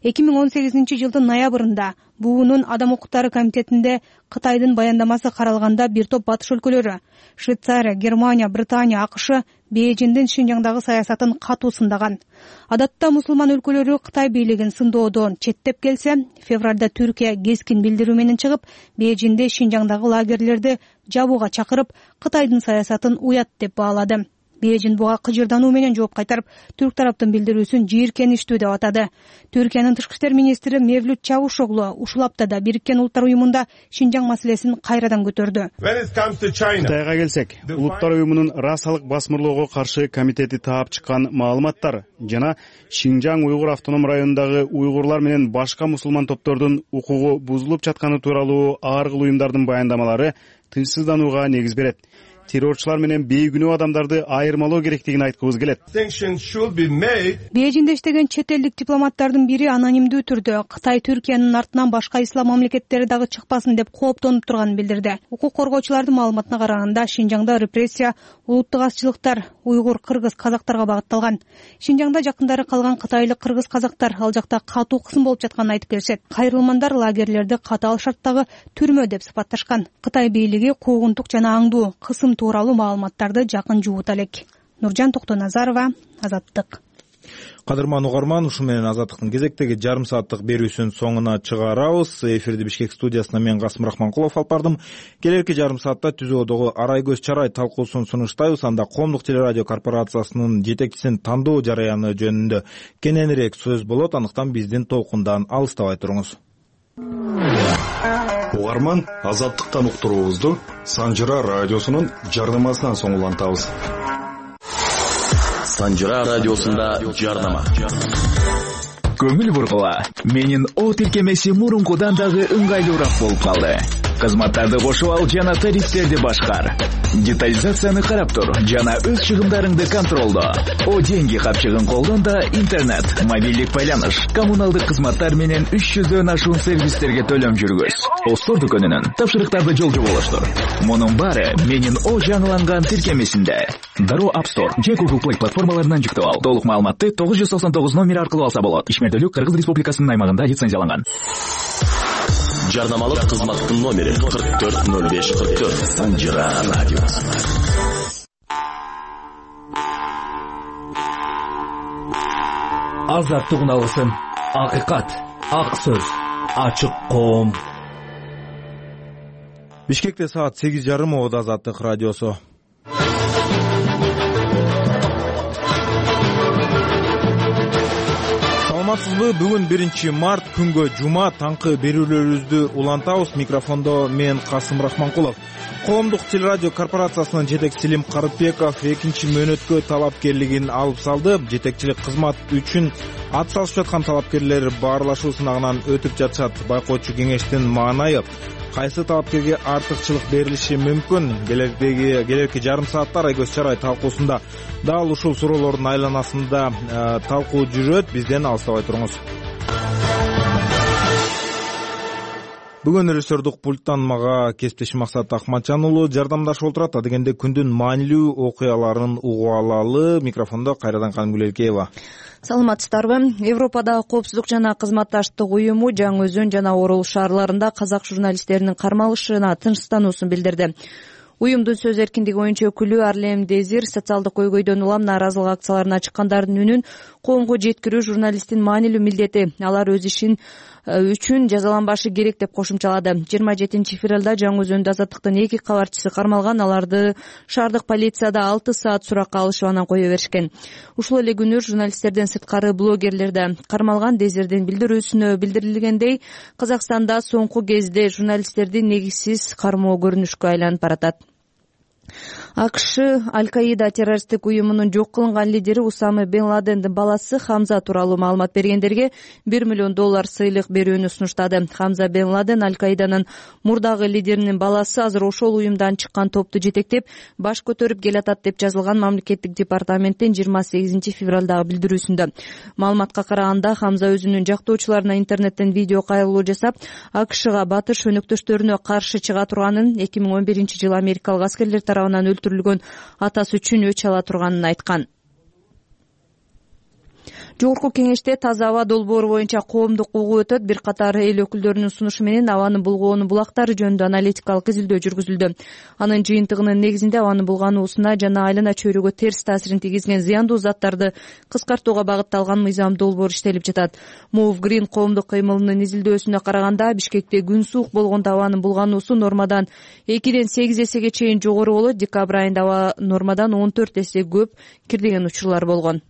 эки миң он сегизинчи жылдын ноябрында буунун адам укуктары комитетинде Кытайдын баяндамасы каралганда бир топ батыш өлкөлөрү — Швейцария, Германия, Британия, АКШ — Бейжиндин Шинжаңдагы саясатын катуу сындаган. Адатта мусулман өлкөлөрү Кытай бийлигин сындоодон четтеп келсе, февралда Түркия кескин билдирүү менен чыгып, Бейжинде Шинжаңдагы лагерлерди жабууга чакырып, Кытайдын саясатын уят деп баалады. Бейжин буга кыжырдануу менен жооп кайтарып, түрк тараптын билдирүүсүн жийиркеничтүү деп атады. Түркиянын тышкы иштер министри Мевлют Чавушоглу ушул аптада Бириккен Улуттар Уюмунда Шинжаң маселесин кайрадан көтөрдү. Кытайга келсек, Улуттар Уюмунун расалык басмырлоого каршы комитети таап чыккан маалыматтар жана Шинжаң уйгур автоном районундагы уйгурлар менен башка мусулман топтордун укугу бузулуп жатканы тууралуу ар кыл уюмдардын баяндамалары тынчсызданууга негиз берет. Террорчулар менен бейгүнөө адамдарды айырмалоо керектигин айткыбыз келет. Бейжинде иштеген чет элдик дипломаттардын бири анонимдүү түрдө Кытай Түркиянын артынан башка ислам мамлекеттери дагы чыкпасын деп кооптонуп турганын билдирди. Укук коргоочулардын маалыматына караганда, Шинжаңда репрессия улуттук азчылыктар уйгур, кыргыз, казактарга багытталган. Шинжаңда жакындары калган кытайлык кыргыз казактар ал жакта катуу кысым болуп жатканын айтып келишет. Кайрылмандар лагерлерди катаал шарттагы түрмө деп сыпатташкан. Кытай бийлиги куугунтук жана аңдуу кысым тууралуу маалыматтарды жакын жуут элек. Нуржан Токтоназарова, Азаттык. Кадырман угарман, ушу менен Азаттыктын кезектеги жарым сааттык берүүсүнүн соңуна чыгарабыз. Эфирди Бишкек студиясына мен Касым Рахманкулов алып бардым. Келерки жарым саатта түзөөдөгү Арай көз чарай талкуусун сунуштайбыз. Анда Коомдук телерадио корпорациясынын жетекчисин тандоо жараяны жөнүндө кененирээк сөз болот. Андыктан биздин толкундан алыстабай туруңуз. Угарман, Азаттыктан уктуруубузду Санжыра радиосунун жардамасынан соң улантабыз. Санжыра радиосунда жардама. Көңүл бургула. Менин о тиркемеси мурункудан дагы ыңгайлуураак болуп калды. Кызматтарды кошуп ал жана тарифтерди башкар. Детализацияны карап тур жана өз чыгымдарыңды контролдо. О деньги капчыгын колдон да интернет, мобилдик байланыш, коммуналдык кызматтар менен үч жүздөн ашуун сервистерге төлөм жүргүз. Остор дүкөнүнүн тапшырыктарды жолжу болуштур. Мунун баары менин о жаңыланган тиркемесинде. Дароо App Store же Google Play платформаларынан жүктөп ал. Толук маалыматты тогуз жүз токсон тогуз номери аркылуу алса болот. Ишмердүүлүк Кыргыз Республикасынын аймагында лицензияланган. Жардамалык кызматтын номери кырк төрт ноль беш кырк төрт. Санжыра радиосы. Азаттык уналысын. Акыйкат, ак сөз, ачык коом. Бишкекте саат сегиз жарым Оодо Азаттык радиосу. Саламатсызбы? Бүгүн биринчи март күнгө жума таңкы берүүлөрүбүздү улантабыз. Микрофондо мен Касым Рахманкулов. Коомдук телерадио корпорациясынын жетекчиси Селим Карытбеков экинчи мөөнөткө талапкерлигин алып салды. Жетекчилик кызмат үчүн ат салышып жаткан талапкерлер баарлашуу сынагынан өтүп жатышат. Байкоочу кеңештин маанайы кайсы талапкерге артыкчылык берилиши мүмкүн? Келердеги келерки жарым саатта Арай көз чарай талкуусунда дал ушул суроолордун айланасында талкуу жүрөт. Бизден алыстабай туруңуз. Бүгүн режиссердук пульттан мага кесиптешим Максат Акматжан уулу жардамдашып отурат. Адегенде күндүн маанилүү окуяларын угуп алалы. Микрофондо кайрадан Каным Гүлелкеева. Саламатсыздарбы? Европадагы коопсуздук жана кызматташтык уюму Жаңы Өзөн жана Орул шаарларында казак журналисттеринин кармалышына тынчсыздануусун билдирди. Уюмдун сөз эркиндиги оюнчу өкүлү Арлем Дезир социалдык көйгөйдөн улам нааразылык акцияларына чыккандардын үнүн коомго жеткирүү журналисттин маанилүү милдети. Алар өз ишин үчүн жазаланбашы керек деп кошумчалады. жыйырма жетинчи февралда Жаңы Өзөндө Азаттыктын эки кабарчысы кармалган. Аларды шаардык полицияда алты саат суракка алышып анан кое беришкен. Ушул эле күнү журналисттерден сырткары блогерлер да кармалган. Дезирдин билдирүүсүнө билдирилгендей, Казакстанда соңку кезде журналисттерди негизсиз кармоо көрүнүшкө айланып баратат. АКШ Аль-Каида террористтик уюмунун жок кылынган лидери Усама Бен Ладендин баласы Хамза тууралуу маалымат бергендерге бир миллион доллар сыйлык берүүнү сунуштады. Хамза Бен Ладен Аль-Каиданын мурдагы лидеринин баласы азыр ошол уюмдан чыккан топту жетектеп баш көтөрүп келатат деп жазылган мамлекеттик департаменттин жыйырма сегизинчи февралдагы билдирүүсүндө. Маалыматка караганда Хамза өзүнүн жактоочуларына интернеттен видео кайрылуу жасап, АКШга батыш өнөктөштөрүнө каршы чыга турганын, эки миң он биринчи жылы америкалык аскерлер тарабынан өлтүрүлгөн атасы үчүн өч ала турганын айткан. Жогорку кеңеште таза аба долбоору боюнча коомдук угуу өтөт. Бир катар эл өкүлдөрүнүн сунушу менен абаны булгоонун булактары жөнүндө аналитикалык изилдөө жүргүзүлдү. Анын жыйынтыгынын негизинде абаны булгануусуна жана айлана чөйрөгө терс таасирин тийгизген зыяндуу заттарды кыскартууга багытталган мыйзам долбоор иштелип жатат. Move Green коомдук кыймылынын изилдөөсүнө караганда, Бишкекте күн суук болгондо абанын булгануусу нормадан экиден сегиз эсеге чейин жогору болот. Декабрь айында аба нормадан он төрт эсе көп кирдеген учурлар болгон.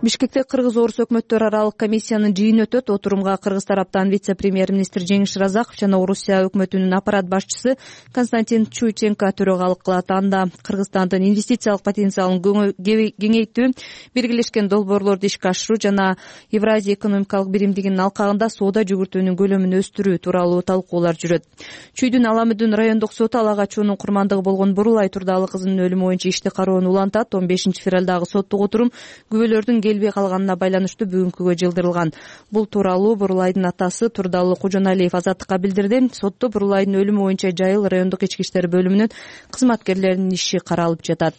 Бишкекте Кыргыз-Орус өкмөттөр аралык комиссиянын жыйыны өтөт. Отурумга Кыргыз тараптан вице-премьер-министр Жеңиш Разаков жана Орусия өкмөтүнүн аппарат башчысы Константин Чуйченко төрөгалык кылат. Анда Кыргызстандын инвестициялык потенциалын кеңейтүү, биргелешкен долбоорлорду ишке ашыруу жана Евразия экономикалык биримдигинин алкагында соода жүгүртүүнүн көлөмүн өстүрүү тууралуу талкуулар жүрөт. Чүйдүн Аламүдүн райондук соту Ала Качуунун курмандыгы болгон Бурулай Турдалы кызынын өлүмү боюнча ишти кароону улантат. он бешинчи февралдагы соттук отурум күбөлөрдүн келбей калганына байланыштуу бүгүнкүгө жылдырылган. Бул тууралуу Бурулайдын атасы Турдалы Кужоналиев Азаттыкка билдирди. Сотто Бурулайдын өлүмү боюнча Жайыл райондук ички иштер бөлүмүнүн кызматкерлеринин иши каралып жатат.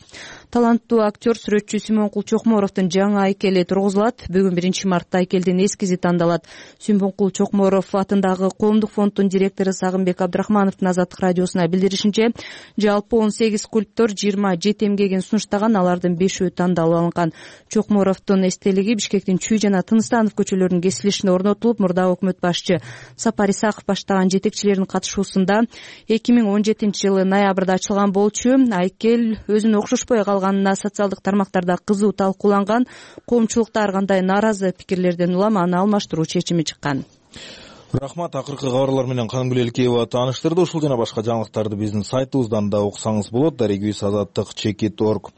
таланттуу актер сүрөтчү Сүймөнкул Чокморовдун жаңы айкели тургузулат. Бүгүн биринчи мартта айкелдин эскизи тандалат. Сүймөнкул Чокморов атындагы Коомдук фонддун директору Сагынбек Абдрахмановдун Азаттык радиосуна билдиришинче, жалпы он сегиз скульптор жыйырма жети эмгегин сунуштаган, алардын бешөө тандалып алынган. Чокморовдун эстелиги Бишкектин Чүй жана Тыныстанов көчөлөрүнүн кесилишине орнотулуп, мурда өкмөт башчы Сапар Исаков баштаган жетекчилердин катышуусунда эки миң он жетинчи жылы ноябрда ачылган болчу. Айкел өзүнө окшошпой калганына социалдык тармактарда кызуу талкууланган. Коомчулукта ар кандай нааразы пикирлерден улам аны алмаштыруу чечими чыккан. Рахмат. Акыркы кабарлар менен Канымгүл Элкеева тааныштырды. Ушул жана башка жаңылыктарды биздин сайтыбыздан да окусаңыз болот. Дарегибиз азаттык чекит точка орг.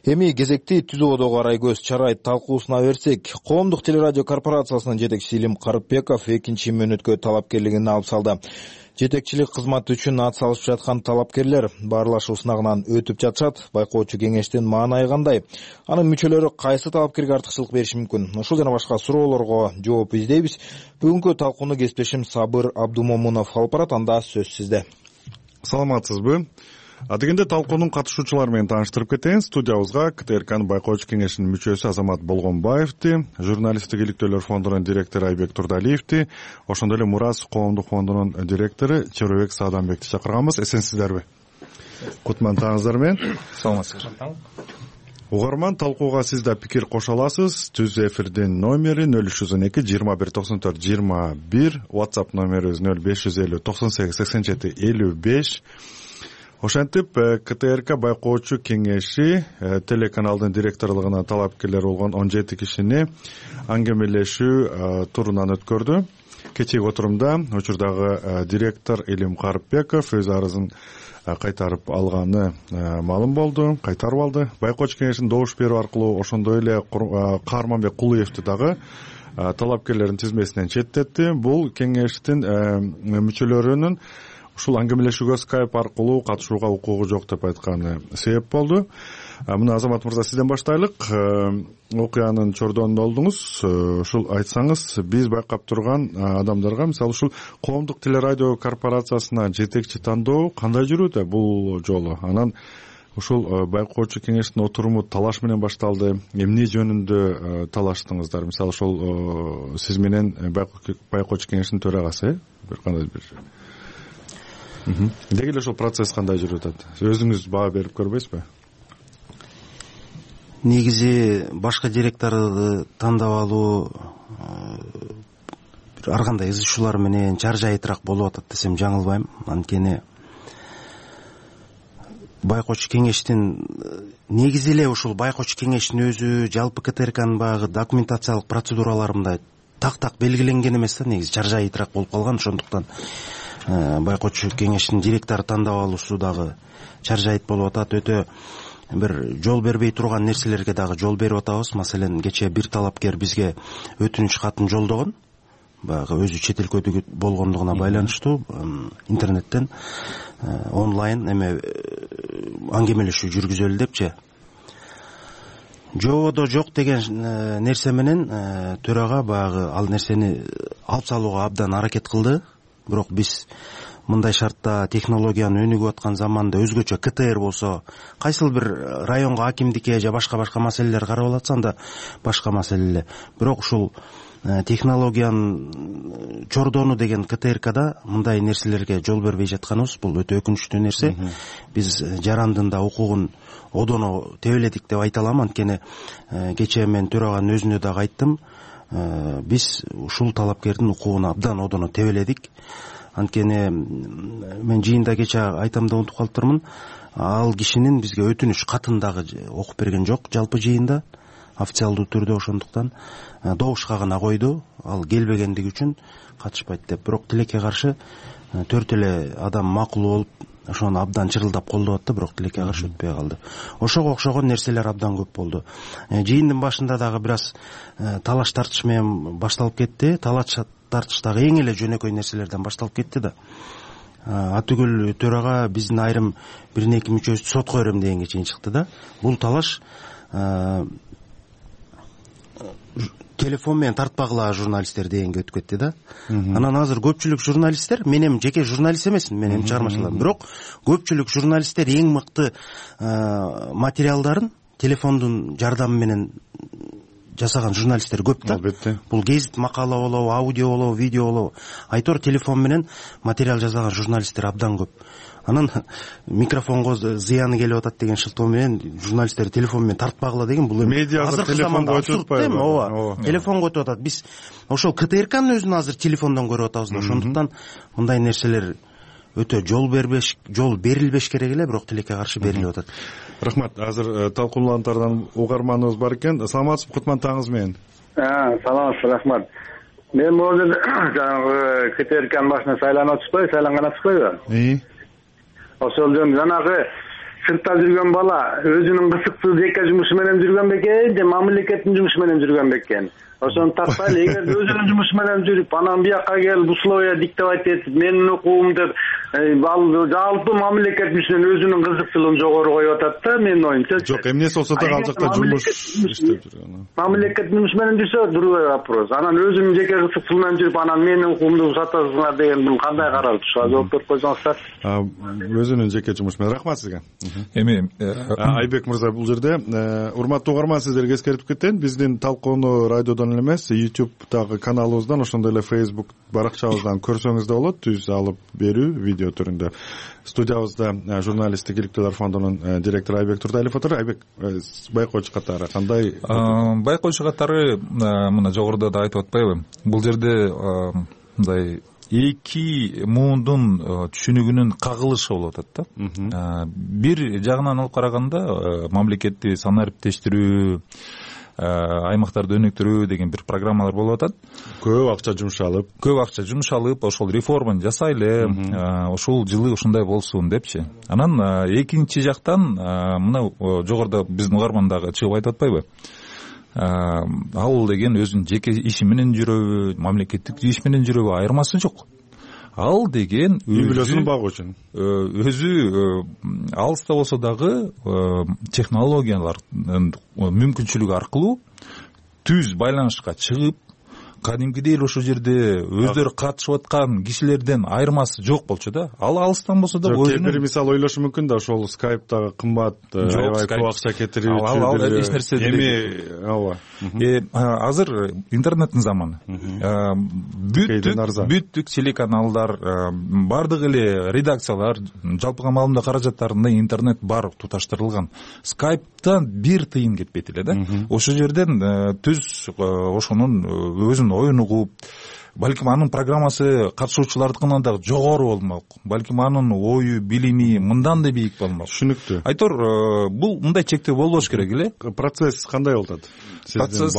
Эми кезекти түзүүдөгү карай көз чарайт талкуусуна берсек, Коомдук телерадио корпорациясынын жетекчиси Илим Карыпбеков экинчи мөөнөткө талапкерлигин алып салды. Жетекчилик кызматы үчүн ат салышып жаткан талапкерлер баарлашуу сынагынан өтүп жатышат. Байкоочу кеңештин маанайы кандай? Анын мүчөлөрү кайсы талапкерге артыкчылык бериши мүмкүн? Ушул жана башка суроолорго жооп издейбиз. Бүгүнкү талкууну кесиптешим Сабыр Абдумомунов алып барат. Анда сөз сизде. Саламатсызбы? Адегенде талкуунун катышуучулары менен тааныштырып кетейин. Студиябызга КТРКнын Байкоочу кеңешинин мүчөсү Азамат Болгонбаевди, журналисттик иликтөөлөр фондунун директору Айбек Турдалиевди, ошондой эле Мурас коомдук фондунун директору Чорубек Сааданбекти чакырганбыз. Эсенсиздерби? Кутман таңыңыздар менен. Саламатсыздар. Угарман, талкууга сиз да пикир кошо аласыз. Түз эфирдин номери нөл үч жүз он эки жыйырма бир токсон төрт жыйырма бир, WhatsApp номерибиз нөл беш жүз элүү токсон сегиз сексен жети элүү беш. Ошентип КТРК Байкоочу кеңеши телеканалдын директорлугуна талапкерлер болгон он жети кишини аңгемелешүү турунан өткөрдү. Кечээги отурумда учурдагы директор Илим Карыпбеков өз арызын кайтарып алганы маалым болду, кайтарып алды. Байкоочу кеңешин добуш берүү аркылуу ошондой эле Каарманбек Кулуевди дагы талапкерлердин тизмесинен четтетти. Бул кеңештин мүчөлөрүнүн ушул аңгемелешүүгө скайп аркылуу катышууга укугу жок деп айтканы себеп болду. Мына Азамат мырза, сизден баштайлык. Окуянын чордонунда болдуңуз. Ушул айтсаңыз, биз байкап турган адамдарга, мисалы ушул Коомдук телерадио корпорациясына жетекчи тандоо кандай жүрүүдө бул жолу? Анан ушул Байкоочу кеңештин отуруму талаш менен башталды. Эмне жөнүндө талаштыңыздар? Мисалы ошол сиз менен Байкоочу кеңештин төрагасы, бир кандай бир деги эле ошол процесс кандай жүрүп атат? Өзүңүз баа берип көрбөйсүзбү? Негизи башка директорду тандап алуу ар кандай ыз чуулар менен чаржайытыраак болуп атат десем жаңылбайм. Анткени Байкоочу кеңештин негизи эле ушул Байкоочу кеңештин өзү жалпы КТРКнын баягы документациялык процедуралары мындай так-так белгиленген эмес да, негизи чаржайытыраак болуп калган. Ошондуктан Байкоочу кеңештин директору тандап алуусу дагы чаржайыт болуп атат. Өтө бир жол бербей турган нерселерге дагы жол берип атабыз. Маселен, кечээ бир талапкер бизге өтүнүч катын жолдогон. Баягы өзү чет өлкөдө болгондугуна байланыштуу интернеттен онлайн эме аңгемелешүү жүргүзөлү депчи. Жободо жок деген нерсе менен төрага баягы ал нерсени алып салууга абдан аракет кылды. Бирок биз мындай шартта технологиянын өнүгүп аткан заманда өзгөчө КТР болсо, кайсыл бир районго акимдикке же башка-башка маселелер карап атса, анда башка маселе. Бирок ушул технологиянын чордону деген КТРКда мындай нерселерге жол бербей жатканыбыз бул өтө өкүнүчтүү нерсе. Биз жарандын да укугун одоно тебеледик деп айта алам. Анткени кечээ мен төраганын өзүнө дагы айттым. Биз ушул талапкердин укугун абдан одоно тебеледик. Анткени мен жыйында кече айтам да унутуп калыптырмын. Ал кишинин бизге өтүнүч катын дагы окуп берген жок жалпы жыйында, официалдуу түрдө. Ошондуктан добушка гана койду, ал келбегендиги үчүн катышпайт деп. Бирок тилекке каршы төрт эле адам макул болуп, ошону абдан чырылдап колдоп атты, бирок тилекке каршы өтпөй калды. Ошого окшогон нерселер абдан көп болду. Жыйындын башында дагы бир аз талаш тартыш менен башталып кетти. Талаш тартыш дагы эң эле жөнөкөй нерселерден башталып кетти да. Атүгүл төрага биздин айрым бир эки мүчөсү сотко берем дегенге чейин чыкты да. Бул талаш телефон менен тартпагыла журналисттер дегенге өтүп кетти да. Анан азыр көпчүлүк журналисттер, мен эми жеке журналист эмесмин, мен эми чыгармачыларым, бирок көпчүлүк журналисттер эң мыкты материалдарын телефондун жардамы менен жасаган журналисттер көп да. Албетте. Бул гезит макала болобу, аудио болобу, видео болобу, айтор телефон менен материал жасаган журналисттер абдан көп. Анан микрофонго зыяны келип атат деген шылтоо менен журналисттер телефон менен тартпагыла деген бул эми азыркы заманда абсурд эми. ооба, телефонго өтүп атат. Биз ошол КТРКнын өзүн азыр телефондон көрүп атабыз да. Ошондуктан мындай нерселер өтө жол бербеш, жол берилбеш керек эле, бирок тилекке каршы берилип атат. Рахмат. Азыр талкуулаантардан угарманыбыз бар экен. Саламатсызбы, кутман таңыңыз менен. Саламатсыз, рахмат. Мен могул жанагы КТРКнын башына сайланып атышпайбы, сайланган атышпайбы? Ошол жөн жанагы сыртта жүргөн бала өзүнүн кызыктуу жеке жумушу менен жүргөн бекен, же мамлекеттин жумушу менен жүргөн бекен. Ошону таппайлы. Эгер өзүнүн жумушу менен жүрүп, анан бияка келип условия диктовать этип, менин укугум деп, ал жалпы мамлекет үчүн өзүнүн кызыкчылыгын жогору коюп атат да, менин оюмча. Жок, эмнеси болсо да ал жакта жумуш иштеп жүргөн. Мамлекет жумуш менен жүрсө другой вопрос. Анан өзүнүн жеке кызыкчылыгы менен жүрүп, анан менин укугумду сатасыңар деген бул кандай каралып ушуга жооп берип койсоңуздар. Өзүнүн жеке жумушу менен. Рахмат сизге. Эми Айбек мырза, бул жерде урматтуу угарман, сиздерге эскертип кетейин, биздин талкууну радиодон эмес, YouTube'дагы каналыбыздан, ошондой эле Facebook баракчабыздан көрсөңүз да болот, түз алып берүү видео түрүндө. Студиябызда журналисттик иликтөөлөр фондунун директору Айбек Турдалиев отур. Айбек, байкоочу катары кандай? Байкоочу катары мына жогоруда да айтып атпайбы? Бул жерде мындай эки муундун түшүнүгүнүн кагылышы болуп атат да. Бир жагынан алып караганда мамлекетти санариптештирүү, аймактарды өнүктүрүү деген бир программалар болуп атат. Көп акча жумшалып, көп акча жумшалып, ошол реформаны жасайлы, ошол жылы ушундай болсун депчи. Анан экинчи жактан мына жогоруда биздин угарман дагы чыгып айтып атпайбы? Ал деген өзүнүн жеке иши менен жүрөбү, мамлекеттик иш менен жүрөбү айырмасы жок. Ал деген үй бүлөсүн багуу үчүн өзү алыста болсо дагы технологиялардын мүмкүнчүлүгү аркылуу түз байланышка чыгып, кадимкидей эле ошол жерде өздөрү катышып аткан кишилерден айырмасы жок болчу да. Ал алыстан болсо да өзүнүн кээ бир мисал ойлошу мүмкүн да, ошол скайптагы кымбат, аябай көп акча кетирүүчү. Ал эч нерсе эми ооба. Азыр интернеттин заманы. Бүттүк бүттүк телеканалдар, бардык эле редакциялар, жалпыга маалымат каражаттарында интернет бар, туташтырылган. Скайптан бир тыйын кетпейт эле да. Ошол жерден түз ошонун өзүнүн оюн угуп, балким анын программасы катышуучулардыкынан дагы жогору болмок, балким анын ою, билими мындан да бийик болмок. Түшүнүктүү. Айтор, бул мындай чектөө болбош керек эле. Процесс кандай болуп атат? Процесс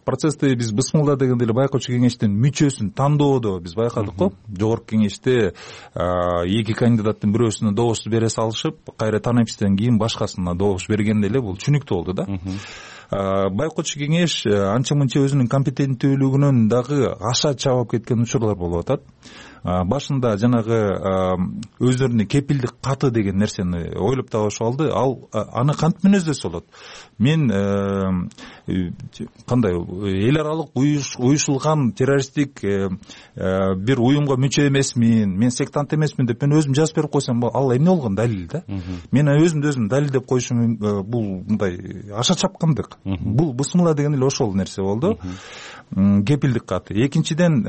процессти биз Бысмылда дегенде эле байкоочу кеңештин мүчөсүн тандоодо биз байкадык го. Жогорку кеңеште эки кандидаттын бирөөсүнө добуш бере салышып, кайра танымчтан кийин башкасына добуш бергенде эле бул түшүнүктүү болду да. Байкоочу кеңеш анча-мынча өзүнүн компетенттүүлүгүнөн дагы аша чабып кеткен учурлар болуп атат. Башында жанагы өздөрүнө кепилдик каты деген нерсени ойлоп табышып алды. Ал аны кантип мүнөздөсө болот? Мен кандай эл аралык уюшулган террористтик бир уюмга мүчө эмесмин, мен сектант эмесмин деп мен өзүм жазып берип койсом, ал эмне болгон далил да? Мен өзүмдү өзүм далилдеп коюшум бул мындай аша чапкындык. Бул Бысмыла деген эле ошол нерсе болду. Кепилдик каты. Экинчиден,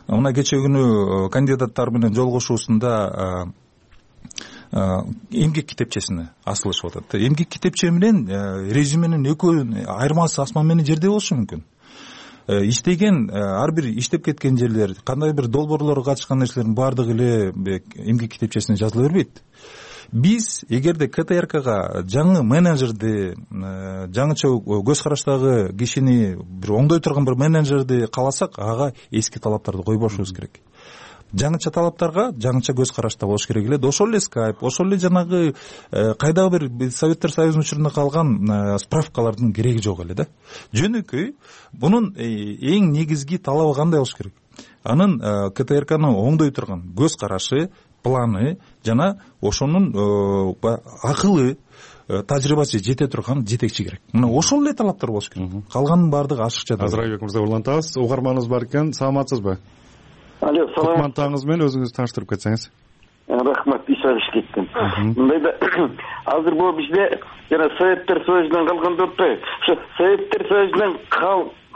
мына кечээ күнү кандидаттар менен жолугушуусунда эмгек китепчесине асылышып атат. Эмгек китепче менен резюменин экөөнүн айырмасы асман менен жердей болушу мүмкүн. Иштеген ар бир иштеп кеткен жерлер, кандай бир долбоорлорго катышкан нерселердин баардыгы эле эмгек китепчесине жазыла бербейт. Биз эгерде КТРКга жаңы менеджерди, жаңыча көз караштагы кишини, бир оңдой турган бир менеджерди кааласак, ага эски талаптарды койбошубуз керек. Жаңыча талаптарга жаңыча көз карашта болуш керек эле. Ошол эле скайп, ошол эле жанагы кайдагы бир Советтер Союзунун учурунда калган справкалардын кереги жок эле да. Жөнөкөй бунун эң негизги талабы кандай болуш керек? Анын КТРКны оңдой турган көз карашы, планы жана ошонун акылы, тажрыйбасы жете турган жетекчи керек. Мына ошол эле талаптар болуш керек. Калганын баардыгы ашыкча. Азыр Айбек мырза угарманыбыз бар экен. Саламатсызбы? Алло, саламат. Кутман таңыңыз менен өзүңүздү тааныштырып кетсеңиз. рахмат, иш кеттим. Мындай да азыр бул бизде жана Советтер Союзунан калган деп атпайбы? Ошо Советтер Союзунан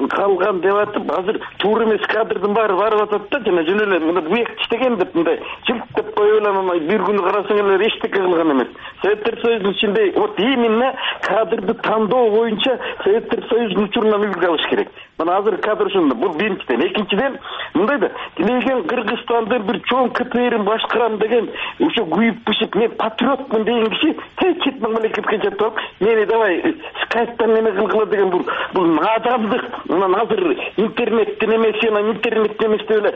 калган деп атып, азыр туура эмес кадрдын баары барып атат да, жана жөн эле мына буяк иштеген деп мындай жылттап коюп эле бир күнү карасаң эле эчтеке кылган эмес. Советтер Союзунун ичинде вот именно кадрды тандоо боюнча Советтер Союзунун учурунан үлгү алыш керек. Мына азыр кадр ушунда. Бул биринчиден. Экинчиден, мындай да тилеген Кыргызстандын бир чоң КТРин башкарам деген ошо күйүп пишип мен патриотмун деген киши чет мамлекетке жатып алып, мени давай скайптан неме кылгыла деген бул бул надандык. Анан азыр интернеттен эмес, анан интернеттен эмес деп эле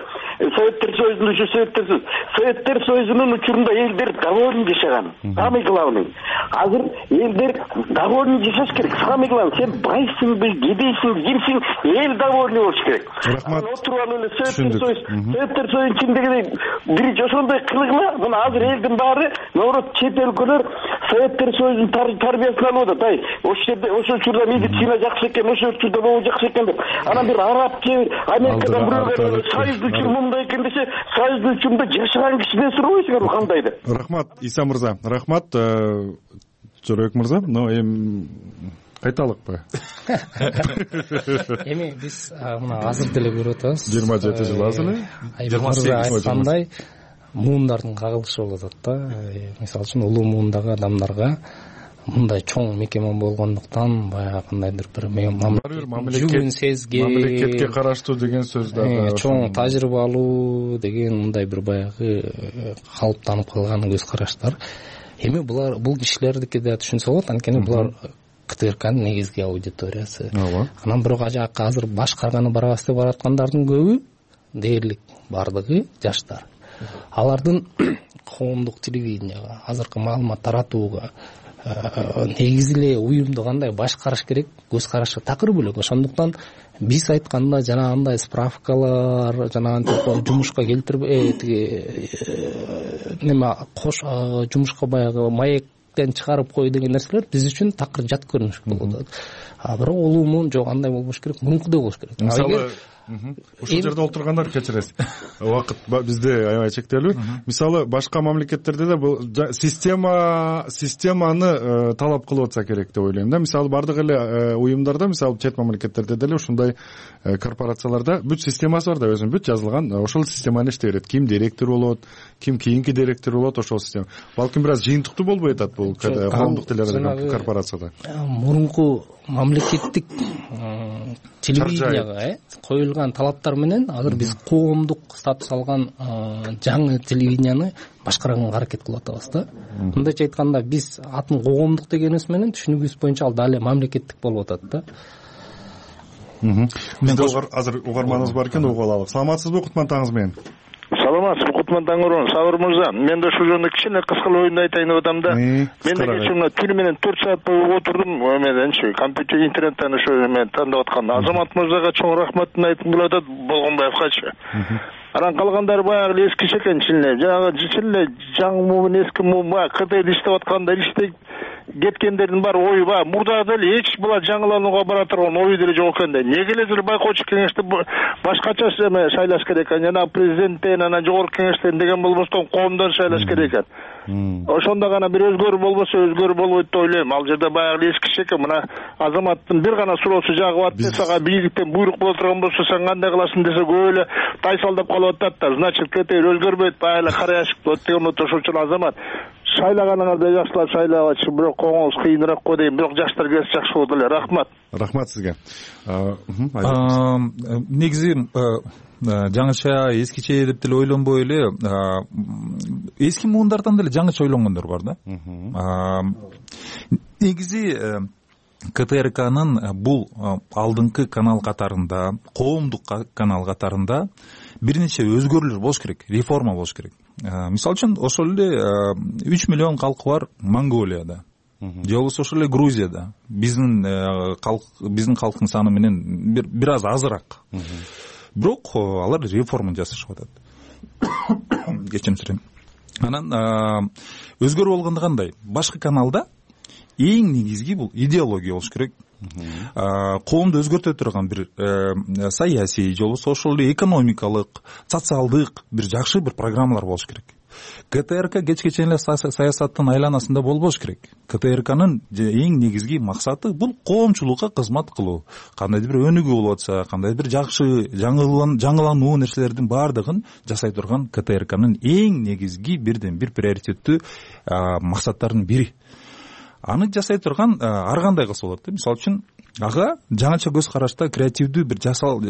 Советтер Союзунун ушу Советтер Союзу. Советтер Союзунун учурунда элдер довольно жашаган. Самый главный. Азыр элдер довольно жашаш керек. Самый главный. Сен байсыңбы, кедейсиң, кимсиң, эл довольный болуш керек. Рахмат. Отуруп алып эле Советтер Союз, Советтер Союзунун ичиндеги бир ошондой кылгыла, мына азыр элдин баары, наоборот, чет өлкөлөр Советтер Союзунун тарбиясын алып атат. Ай, ошол жерде ошол учурда медицина жакшы экен, ошол учурда могу жакшы экен деп. Анан бир араб же Америкадан бирөөгө Союздун учуру мындай экен десе, Союздун учурунда жашаган кишиден сурабайсыңарбы кандай деп. Рахмат, Иса мырза. Рахмат, Жоробек мырза. Но эми кайталыкпы? Эми биз мына азыр деле көрүп атабыз. жыйырма жети жыл азыр. жыйырма сегиз айткандай муундардын кагылышы болуп атат да. Мисалы үчүн улуу муундагы адамдарга мындай чоң мекеме болгондуктан баягы кандайдыр бир жүгүн сезген, мамлекетке караштуу деген сөз да чоң тажрыйбалуу деген мындай бир баягы калыптанып калган көз караштар. Эми булар бул кишилердики да түшүнсө болот, анткени булар КТРКнын негизги аудиториясы. Анан бирок ажакка азыр башкарганы барабыз деп бараткандардын көбү дээрлик бардыгы жаштар. Алардын коомдук телевиденияга, азыркы маалымат таратууга негизи эле уюмду кандай башкарыш керек, көз карашы такыр бөлөк. Ошондуктан биз айтканда жанагындай справкалар, жанагынтип жумушка келтирбей неме кош жумушка баягы маектен чыгарып кой деген нерселер биз үчүн такыр жат көрүнүш болуп атат. А бирок улуумун жок андай болбош керек, мункудай болуш керек. Мисалы ушул жерде отургандар кечиресиз. Убакыт бизде аябай чектелүү. Мисалы башка мамлекеттерде да бул система системаны талап кылып атса керек деп ойлойм да. Мисалы бардык эле уюмдарда, мисалы чет мамлекеттерде деле ушундай корпорацияларда бүт системасы бар да, өзүнүн бүт жазылган. Ошол системаны иштей берет. Ким директор болот, ким кийинки директор болот, ошол система. Балким бир аз жыйынтыктуу болбой атат бул коомдук телерадио корпорацияда. Мурунку мамлекеттик телевиденияга коюлган талаптар менен азыр биз коомдук статус алган жаңы телевиденияны башкарганга аракет кылып атабыз да. Мындайча айтканда биз атын коомдук дегенибиз менен түшүнүгүбүз боюнча ал дагы мамлекеттик болуп атат да. Бизде азыр угарманыбыз бар экен, угуп алалы. Саламатсызбы, кутман таңыңыз менен? Саламатсызбы, кутман таң урун. Сабыр мырза, мен да ушул жөнүндө кичине кыскалуу оюнду айтайын деп атам да. Мен да кечээ мына түнү менен төрт саат бою отурдум, эмеденчи компьютер интернеттен ошо эме тандап атканда. Азамат мырзага чоң рахматын айткым келип атат, Болгонбаевгачы. Анан калгандары баягы эле эски экен чын эле. Жанагы чын эле жаңы муун, эски муун баягы КТР иштеп атканда иштеп кеткендердин баары ою баягы мурда деле эч була жаңыланууга бара турган ою деле жок экен да. Неге эле байкоочу кеңешти башкача эме шайлаш керек экен, жана президенттен, анан жогорку кеңештен деген болбостон коомдон шайлаш керек экен. Ошондо гана бир өзгөрүү болбосо өзгөрүү болбойт деп ойлойм. Ал жерде баягы эски экен. Мына Азаматтын бир гана суроосу жагып атты, сага бийликтен буйрук боло турган болсо сен кандай кыласың десе көп эле тайсалдап калып атат да. Значит, КТР өзгөрбөйт, баягы эле кара яшик болот деген болот. Ошон үчүн Азамат шайлаганыңарды жакшылап шайлабачы, бирок коңуңуз кыйыныраак го дейм. Бирок жаштар келсе жакшы болот эле. Рахмат. Рахмат сизге. Негизи жаңыча, эскиче деп деле ойлонбой эле эски муундардан деле жаңыча ойлонгондор бар да. Негизи КТРКнын бул алдыңкы канал катарында, коомдук канал катарында бир нече өзгөрүүлөр болуш керек, реформа болуш керек. Мисалы үчүн ошол эле үч миллион калкы бар Монголияда, же болбосо ошол эле Грузияда биздин калк биздин калктын саны менен бир бир аз азыраак. Бирок алар реформа жасашып атат. Кечирим сурайм. Анан өзгөрүү болгондо кандай? Башкы каналда эң негизги бул идеология болуш керек. Коомду өзгөртө турган бир саясий же болбосо ошол эле экономикалык, социалдык бир жакшы бир программалар болуш керек. КТРК кечке чейин эле саясаттын айланасында болбош керек. КТРКнын эң негизги максаты бул коомчулукка кызмат кылуу. Кандайдыр бир өнүгүү болуп атса, кандайдыр бир жакшы жаңылануу нерселердин баардыгын жасай турган КТРКнын эң негизги бирден бир приоритеттүү максаттарынын бири. Аны жасай турган ар кандай кылса болот. Мисалы үчүн ага жаңыча көз карашта креативдүү бир жасал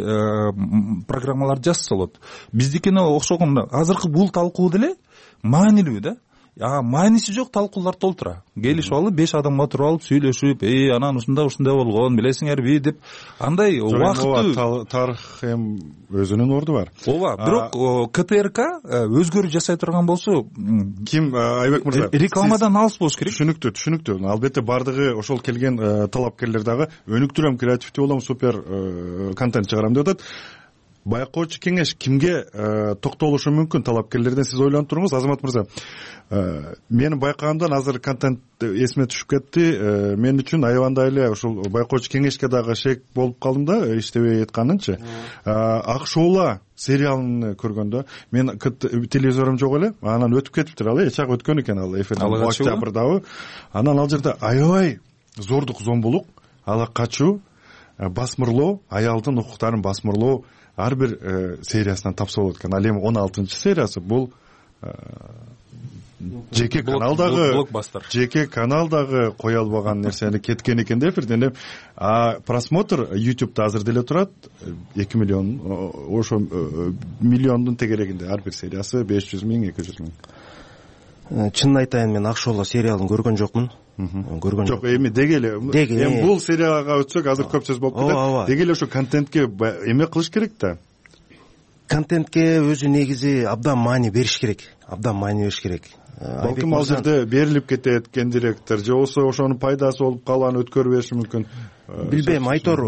программаларды жазса болот. Биздикине окшогон азыркы бул талкуу деле маанилүү да. А мааниси жок талкуулар толтура. Келишип алып беш адам отуруп алып сүйлөшүп, "Эй, анан ушундай ушундай болгон, билесиңерби?" деп андай убакыттуу тарых эми өзүнүн орду бар. Ооба, бирок КТРК өзгөрүү жасай турган болсо, ким Айбек мырза? Рекламадан алыс болуш керек. Түшүнүктүү, түшүнүктүү. Албетте баардыгы ошол келген талапкерлер дагы өнүктүрөм, креативдүү болом, супер контент чыгарам деп атат. Байкоочу кеңеш кимге токтолушу мүмкүн? Талапкерлерден сиз ойлонуп туруңуз, Азамат мырза. Менин байкагымдан азыр контент эсиме түшүп кетти. Мен үчүн аябандай эле ушул байкоочу кеңешке дагы шек болуп калдым да, иштебей жатканынчы. Ак шоула сериалын көргөндө мен телевизорум жок эле, анан өтүп кетиптир ал, эч ак өткөн экен ал эфирден октябрдабы. Анан ал жерде аябай зордук зомбулук, ала качуу, басмырлоо, аялдын укуктарын басмырлоо ар бир сериясынан тапса болот экен. Ал эми он алтынчы сериясы бул жеке каналдагы блокбастер. Жеке каналдагы кое албаган нерсени кеткен экен да эфирден. А просмотр YouTube'да азыр деле турат эки миллион, ошо миллиондун тегерегинде ар бир сериясы беш жүз миң, эки жүз миң. Чынын айтайын, мен Ак шоула сериалын көргөн жокмун. Көргөн жок. Эми деги эле эми бул серияга өтсөк азыр көп сөз болуп кетет. Деги эле ошо контентке эме кылыш керек да. Контентке өзү негизи абдан маани бериш керек. Абдан маани бериш керек. Балким ал жерде берилип кетет кен директор, же болбосо ошонун пайдасы болуп калган өткөрүп бериши мүмкүн. Билбейм, Айтор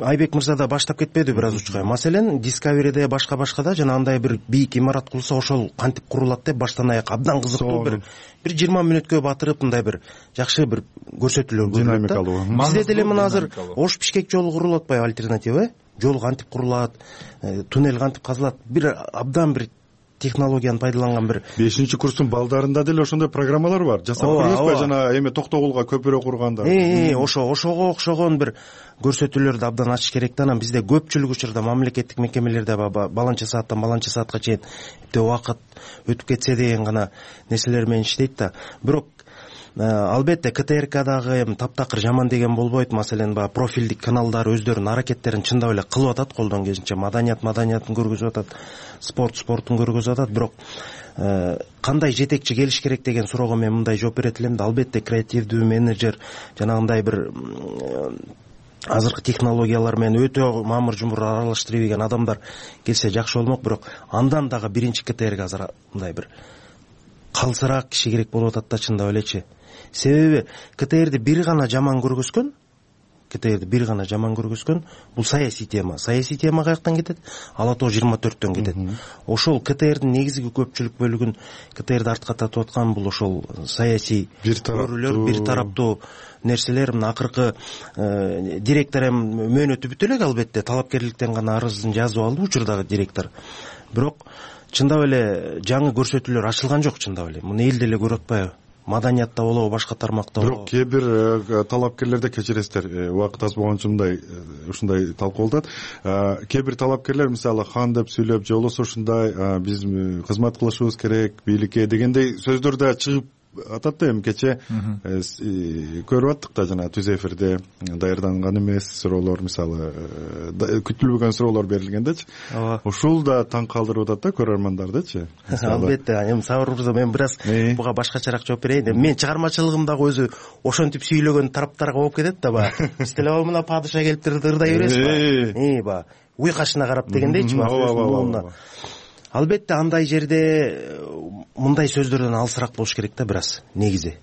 Айбек мырза да баштап кетпеди бир аз учкай. Маселен, Discovery'де башка башкада жана андай бир бийик имарат курулса ошол кантип курулат деп баштан аяк абдан кызыктуу бир бир жыйырма мүнөткө батырып мындай бир жакшы бир көрсөтүүлөр динамикалуу. Бизде деле мына азыр Ош Бишкек жолу курулуп атпайбы, альтернатива, э? Жол кантип курулат, туннель кантип казылат, бир абдан бир технологияны пайдаланган бир бешинчи курстун балдарында деле ошондой программалар бар. Жасап көрүңүзбү жана эме Токтогулга көпүрө курганда. Э, ошо ошого окшогон бир көрсөтүүлөрдү абдан ачыш керек да. Анан бизде көпчүлүк учурда мамлекеттик мекемелерде баланча сааттан баланча саатка чейин эптеп убакыт өтүп кетсе деген гана нерселер менен иштейт да. Бирок албетте КТРКдагы эми таптакыр жаман деген болбойт. Маселен, баягы профилдик каналдар өздөрүнүн аракеттерин чындап эле кылып атат, колдон келишинче маданият маданиятын көргөзүп атат, спорт спортун көргөзүп атат. Бирок кандай жетекчи келиш керек деген суроого мен мындай жооп берет элем да. Албетте креативдүү менеджер, жанагындай бир азыркы технологиялар менен өтө мамыр жумур аралаштыра билген адамдар келсе жакшы болмок. Бирок андан дагы биринчи КТРК азыр мындай бир калсыраак киши керек болуп атат да, чындап элечи. Себеби КТРди бир гана жаман көргөзгөн, КТРди бир гана жаман көргөзгөн, бул саясий тема. Саясий тема каяктан кетет? Ала тоо жыйырма төрттөн кетет. Ошол КТРдин негизги көпчүлүк бөлүгүн КТРди артка тартып аткан бул ошол саясий көрүүлөр, бир тараптуу нерселер. Мына акыркы директор эми мөөнөтү бүтө элек, албетте талапкерликтен гана арызын жазып алды учурдагы директор. Бирок чындап эле жаңы көрсөтүүлөр ачылган жок, чындап эле. Муну эл деле көрүп атпайбы? Маданиятта болобу, башка тармакта болобу? Бирок кээ бир талапкерлерде кечиресиздер, убакыт аз болгон үчүн мындай ушундай талкуу болуп атат. Кээ бир талапкерлер мисалы хан деп сүйлөп, же болбосо ушундай биз кызмат кылышыбыз керек бийликке дегендей сөздөр да чыгып атат да. Эми кече көрүп аттык да, жана түз эфирде даярданган эмес суроолор, мисалы күтүлбөгөн суроолор берилгендечи. Ушул да таң калтырып атат да көрөрмандардычы. Албетте, эми Сабыр мырза, мен бир аз буга башкачараак жооп берейин. Мен чыгармачылыгымдагы өзү ошентип сүйлөгөн тараптарга болуп кетет да. Баягы биз деле мына падыша келиптир ырдай бересизби? И баягы уй кашына карап дегендейчи. Албетте андай жерде мындай сөздөрдөн алысыраак болуш керек да, бир аз негизи.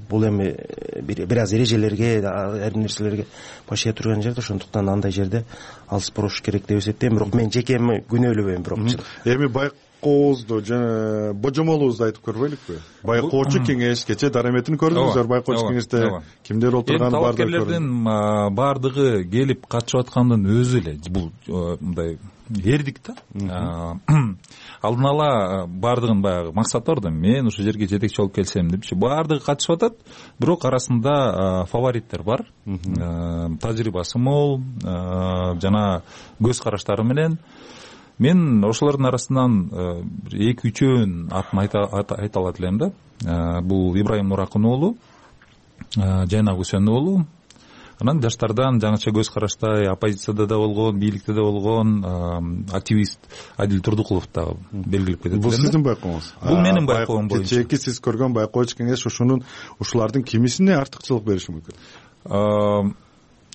Бул эми бир аз эрежелерге, айрым нерселерге башыя турган жерде, ошондуктан андай жерде алыс болуш керек деп эсептейм. Бирок мен жеке күнөөлөбөйм. Бирок эми байкообузду жана божомолубузду айтып көрбөйлүкпү? Байкоочу кеңеш кече дараметин көрдүңүздөр. Байкоочу кеңеште кимдер отурганы баардыгы талапкерлердин баардыгы келип катышып аткандын өзү эле бул мындай эрдик да. Алдын ала баардыгын баягы максат бар да, мен ушул жерге жетекчи болуп келсем депчи. Баардыгы катышып атат, бирок арасында фавориттер бар. Тажрыйбасы мол, жана көз караштары менен. Мен ошолордун арасынан эки үчөөнүн атын айта алат элем да. Бул Ибрайым Нуракын уулу, Жайнак Үсөнов уулу. Анан жаштардан жаңыча көз караштай оппозицияда да болгон, бийликте да болгон активист Адил Турдукулов да белгилеп кетет. Бул сиздин байкооңуз? Бул менин байкоом боюнча. Кечээки сиз көргөн байкоочу кеңеш ушунун ушулардын кимисине артыкчылык бериши мүмкүн?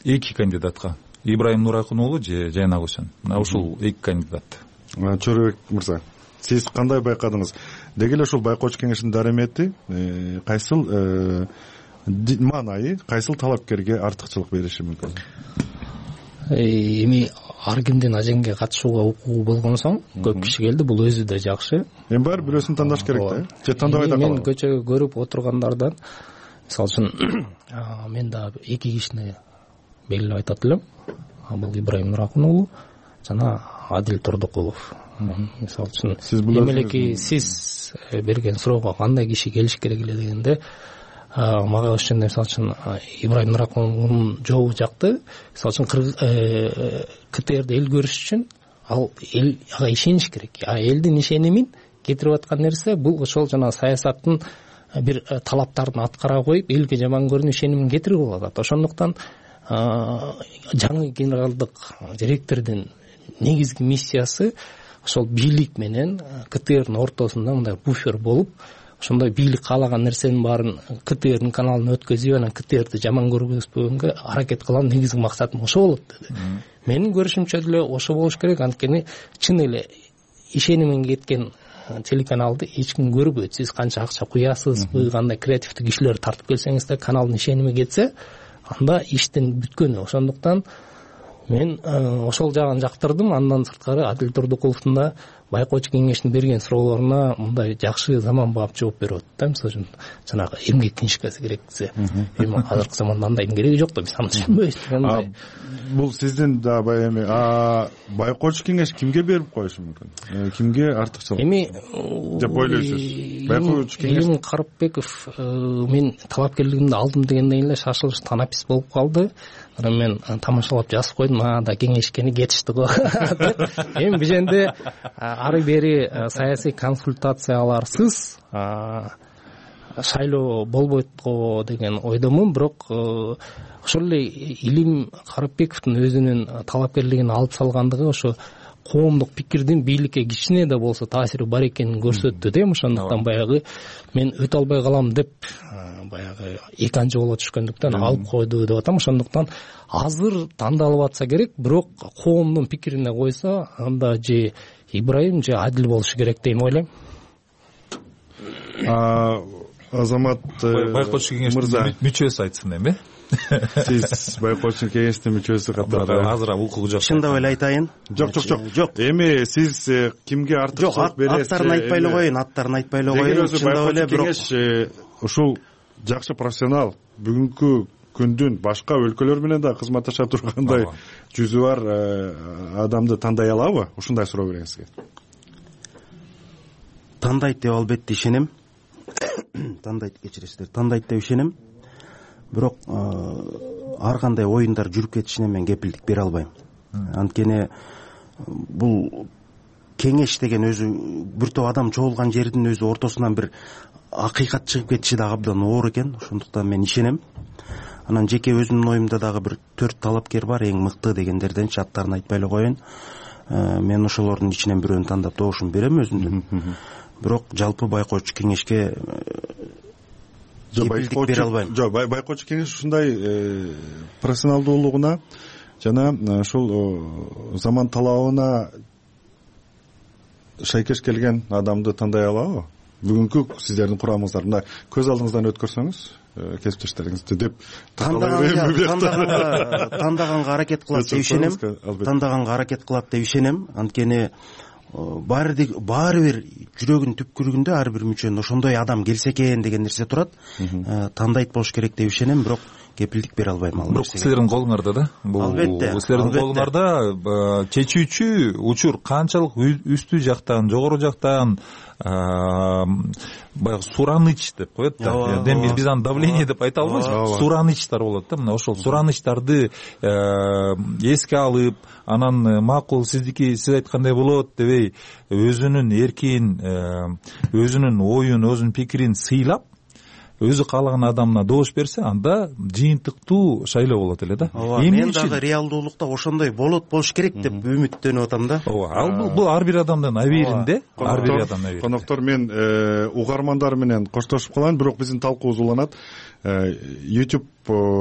Эки кандидатка. Ибрайым Нуракын уулу же Жайнак Үсөнов. Мына ушул эки кандидат. Чорбек мырза, сиз кандай байкадыңыз? Деги эле ушул байкоочу кеңештин дарамети кайсыл маанайы, кайсыл талапкерге артыкчылык бериши мүмкүн? Эми ар кимдин ажеңге катышууга укугу болгон соң көп киши келди, бул өзү да жакшы. Эми баары бирөөсүн тандаш керек да, же тандабай да калат? Мен көчөгө көрүп отургандардан, мисалы үчүн, мен да эки кишини белгилеп айтат элем. Бул Ибрайым Нуракын уулу жана Адил Турдукулов. Мисалы үчүн, эмелеки сиз берген суроого кандай киши келиш керек эле дегенде, мага ошондой, мисалы үчүн, Ибрайым Нуракын уулунун жообу жакты. Мисалы үчүн, КТРди эл көрүш үчүн ал эл ага ишениш керек. А элдин ишенимин кетирип аткан нерсе бул ошол жана саясаттын бир талаптарын аткара коюп, элге жаман көрүнүү ишенимин кетирип алат. Ошондуктан жаңы генералдык директордун негизги миссиясы ошол бийлик менен КТРдин ортосунда мындай буфер болуп, ошондой бийлик каалаган нерсенин баарын КТРдин каналына өткөзүп, анан КТРди жаман көргөзбөгөнгө аракет кылган негизги максатым ошо болот деди. Менин көрүшүмчө деле ошо болуш керек, анткени чын эле ишенимин кеткен телеканалды эч ким көрбөйт. Сиз канча акча куясызбы, кандай креативдүү кишилерди тартып келсеңиз да, каналдын ишеними кетсе, анда иштин бүткөнү. Ошондуктан мен ошол жагын жактырдым. Андан сырткары Адил Турдукуловдун да байкоочу кеңештин берген суроолоруна мындай жакшы заманбап жооп берип атат да. Мисалы үчүн, жанагы эмгек книжкасы керек десе, эми азыркы заманда андайдын кереги жок да, биз аны түшүнбөйбүз. Бул сиздин да бай эми байкоочу кеңеш кимге берип коюшу мүмкүн? Кимге артыкчылык эми деп ойлойсуз? Байкоочу кеңеш Элим Карыпбеков мен талапкерлигимди алдым дегенден эле шашылыш танапис болуп калды. Анан мен тамашалап жазып койдум, а да кеңешкени кетишти го деп. Эми биженде ары бери саясий консультацияларсыз шайлоо болбойт го деген ойдомун. Бирок ошол эле Илим Карыпбековдун өзүнүн талапкерлигин алып салгандыгы ошо коомдук пикирдин бийликке кичине да болсо таасири бар экенин көрсөттү да. Ошондуктан баягы мен өтө албай калам деп баягы экинчи жолго түшкөндүктөн алып койду деп атам. Ошондуктан азыр тандалып атса керек, бирок коомдун пикирине койсо анда же Ибрайым же Адил болушу керек деп ойлойм. Азамат байкоочу кеңештин мүчөсү айтсын эми. Сиз байкоочу кеңештин мүчөсү катары азыр укугу жок. Чындап эле айтайын. Жок, жок, жок. Жок. Эми сиз кимге артыкчылык бересиз? Аттарын айтпай эле коеюн, аттарын айтпай эле коеюн. Чындап эле кеңеш ушул жакшы профессионал, бүгүнкү күндүн башка өлкөлөр менен да кызматташа тургандай жүзү бар адамды тандай алабы? Ушундай суроо берейин сизге. Тандайт деп албетте ишенем. Тандайт, кечиресиздер, тандайт деп ишенем. Бирок ар кандай оюндар жүрүп кетишине мен кепилдик бере албайм. Анткени бул кеңеш деген өзү бир топ адам чогулган жердин өзү ортосунан бир акыйкат чыгып кетиши да абдан оор экен. Ошондуктан мен ишенем. Анан жеке өзүмдүн оюмда дагы бир төрт талапкер бар, эң мыкты дегендерден аттарын айтпай эле коеюн. Мен ошолордун ичинен бирөөнү тандап добушум берем өзүмдүн. Бирок жалпы байкоочу кеңешке кепилдик бере албайм. Жок, байкоочу кеңеш ушундай профессионалдуулугуна жана ушул заман талабына шайкеш келген адамды тандай алабы? Бүгүнкү сиздердин курамыңыздар мына көз алдыңыздан өткөрсөңүз кесиптештериңизди деп тандаганга аракет кылат деп ишенем. Тандаганга аракет кылат деп ишенем. Анткени баары бир жүрөгүнүн түпкүрүндө ар бир мүчөнүн ошондой адам келсе экен деген нерсе турат. Тандайт болуш керек деп ишенем, бирок кепилдик бере албайм ал нерсеге. Бирок силердин колуңарда да. Бул албетте. Силердин колуңарда чечүүчү учур канчалык үстү жактан, жогору жактан баягы сураныч деп коет да. Эми биз аны давление деп айта албайбыз. Суранычтар болот да. Мына ошол суранычтарды эске алып, анан макул сиздики сиз айткандай болот дебей, өзүнүн эркин, өзүнүн оюн, өзүнүн пикирин сыйлап, өзү каалаган адамына добуш берсе, анда жыйынтыктуу шайлоо болот эле да. Мен дагы реалдуулукта ошондой болот, болуш керек деп үмүттөнүп атам да. Ооба, ал бул ар бир адамдын абийиринде, ар бир адамдын абийиринде. Коноктор, мен угармандар менен коштошуп калайын, бирок биздин талкуубуз уланат. YouTube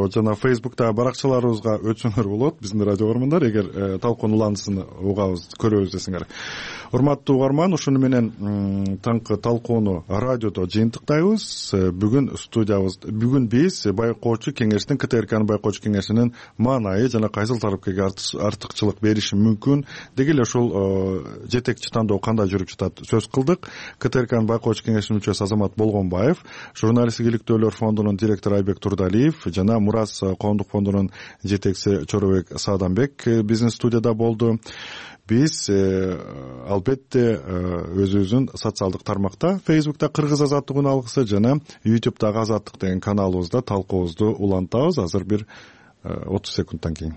жана Facebook'та баракчаларыбызга өтсөңөр болот, биздин радио угармандар, эгер талкуунун уланысын угабыз, көрөбүз десеңер. Урматтуу угарман, ушуну менен таңкы талкууну радиодо жыйынтыктайбыз. Бүгүн студиябыз, бүгүн биз байкоочу кеңештин, КТРКнын байкоочу кеңешинин маанайы жана кайсыл тарапка артыкчылык бериши мүмкүн, деги эле ушул жетекчи тандоо кандай жүрүп жатат сөз кылдык. КТРКнын байкоочу кеңешинин мүчөсү Азамат Болгонбаев, журналисттик иликтөөлөр фондунун директору Айбек Турдалиев жана Мурас коомдук фондунун жетекчиси Чоробек Сааданбек биздин студияда болду. Биз албетте өзүбүздүн социалдык тармакта, Facebook'та Кыргыз азаттык үн алгысы жана YouTube'дагы Азаттык деген каналыбызда талкуубузду улантабыз. Азыр бир отуз секундтан кийин.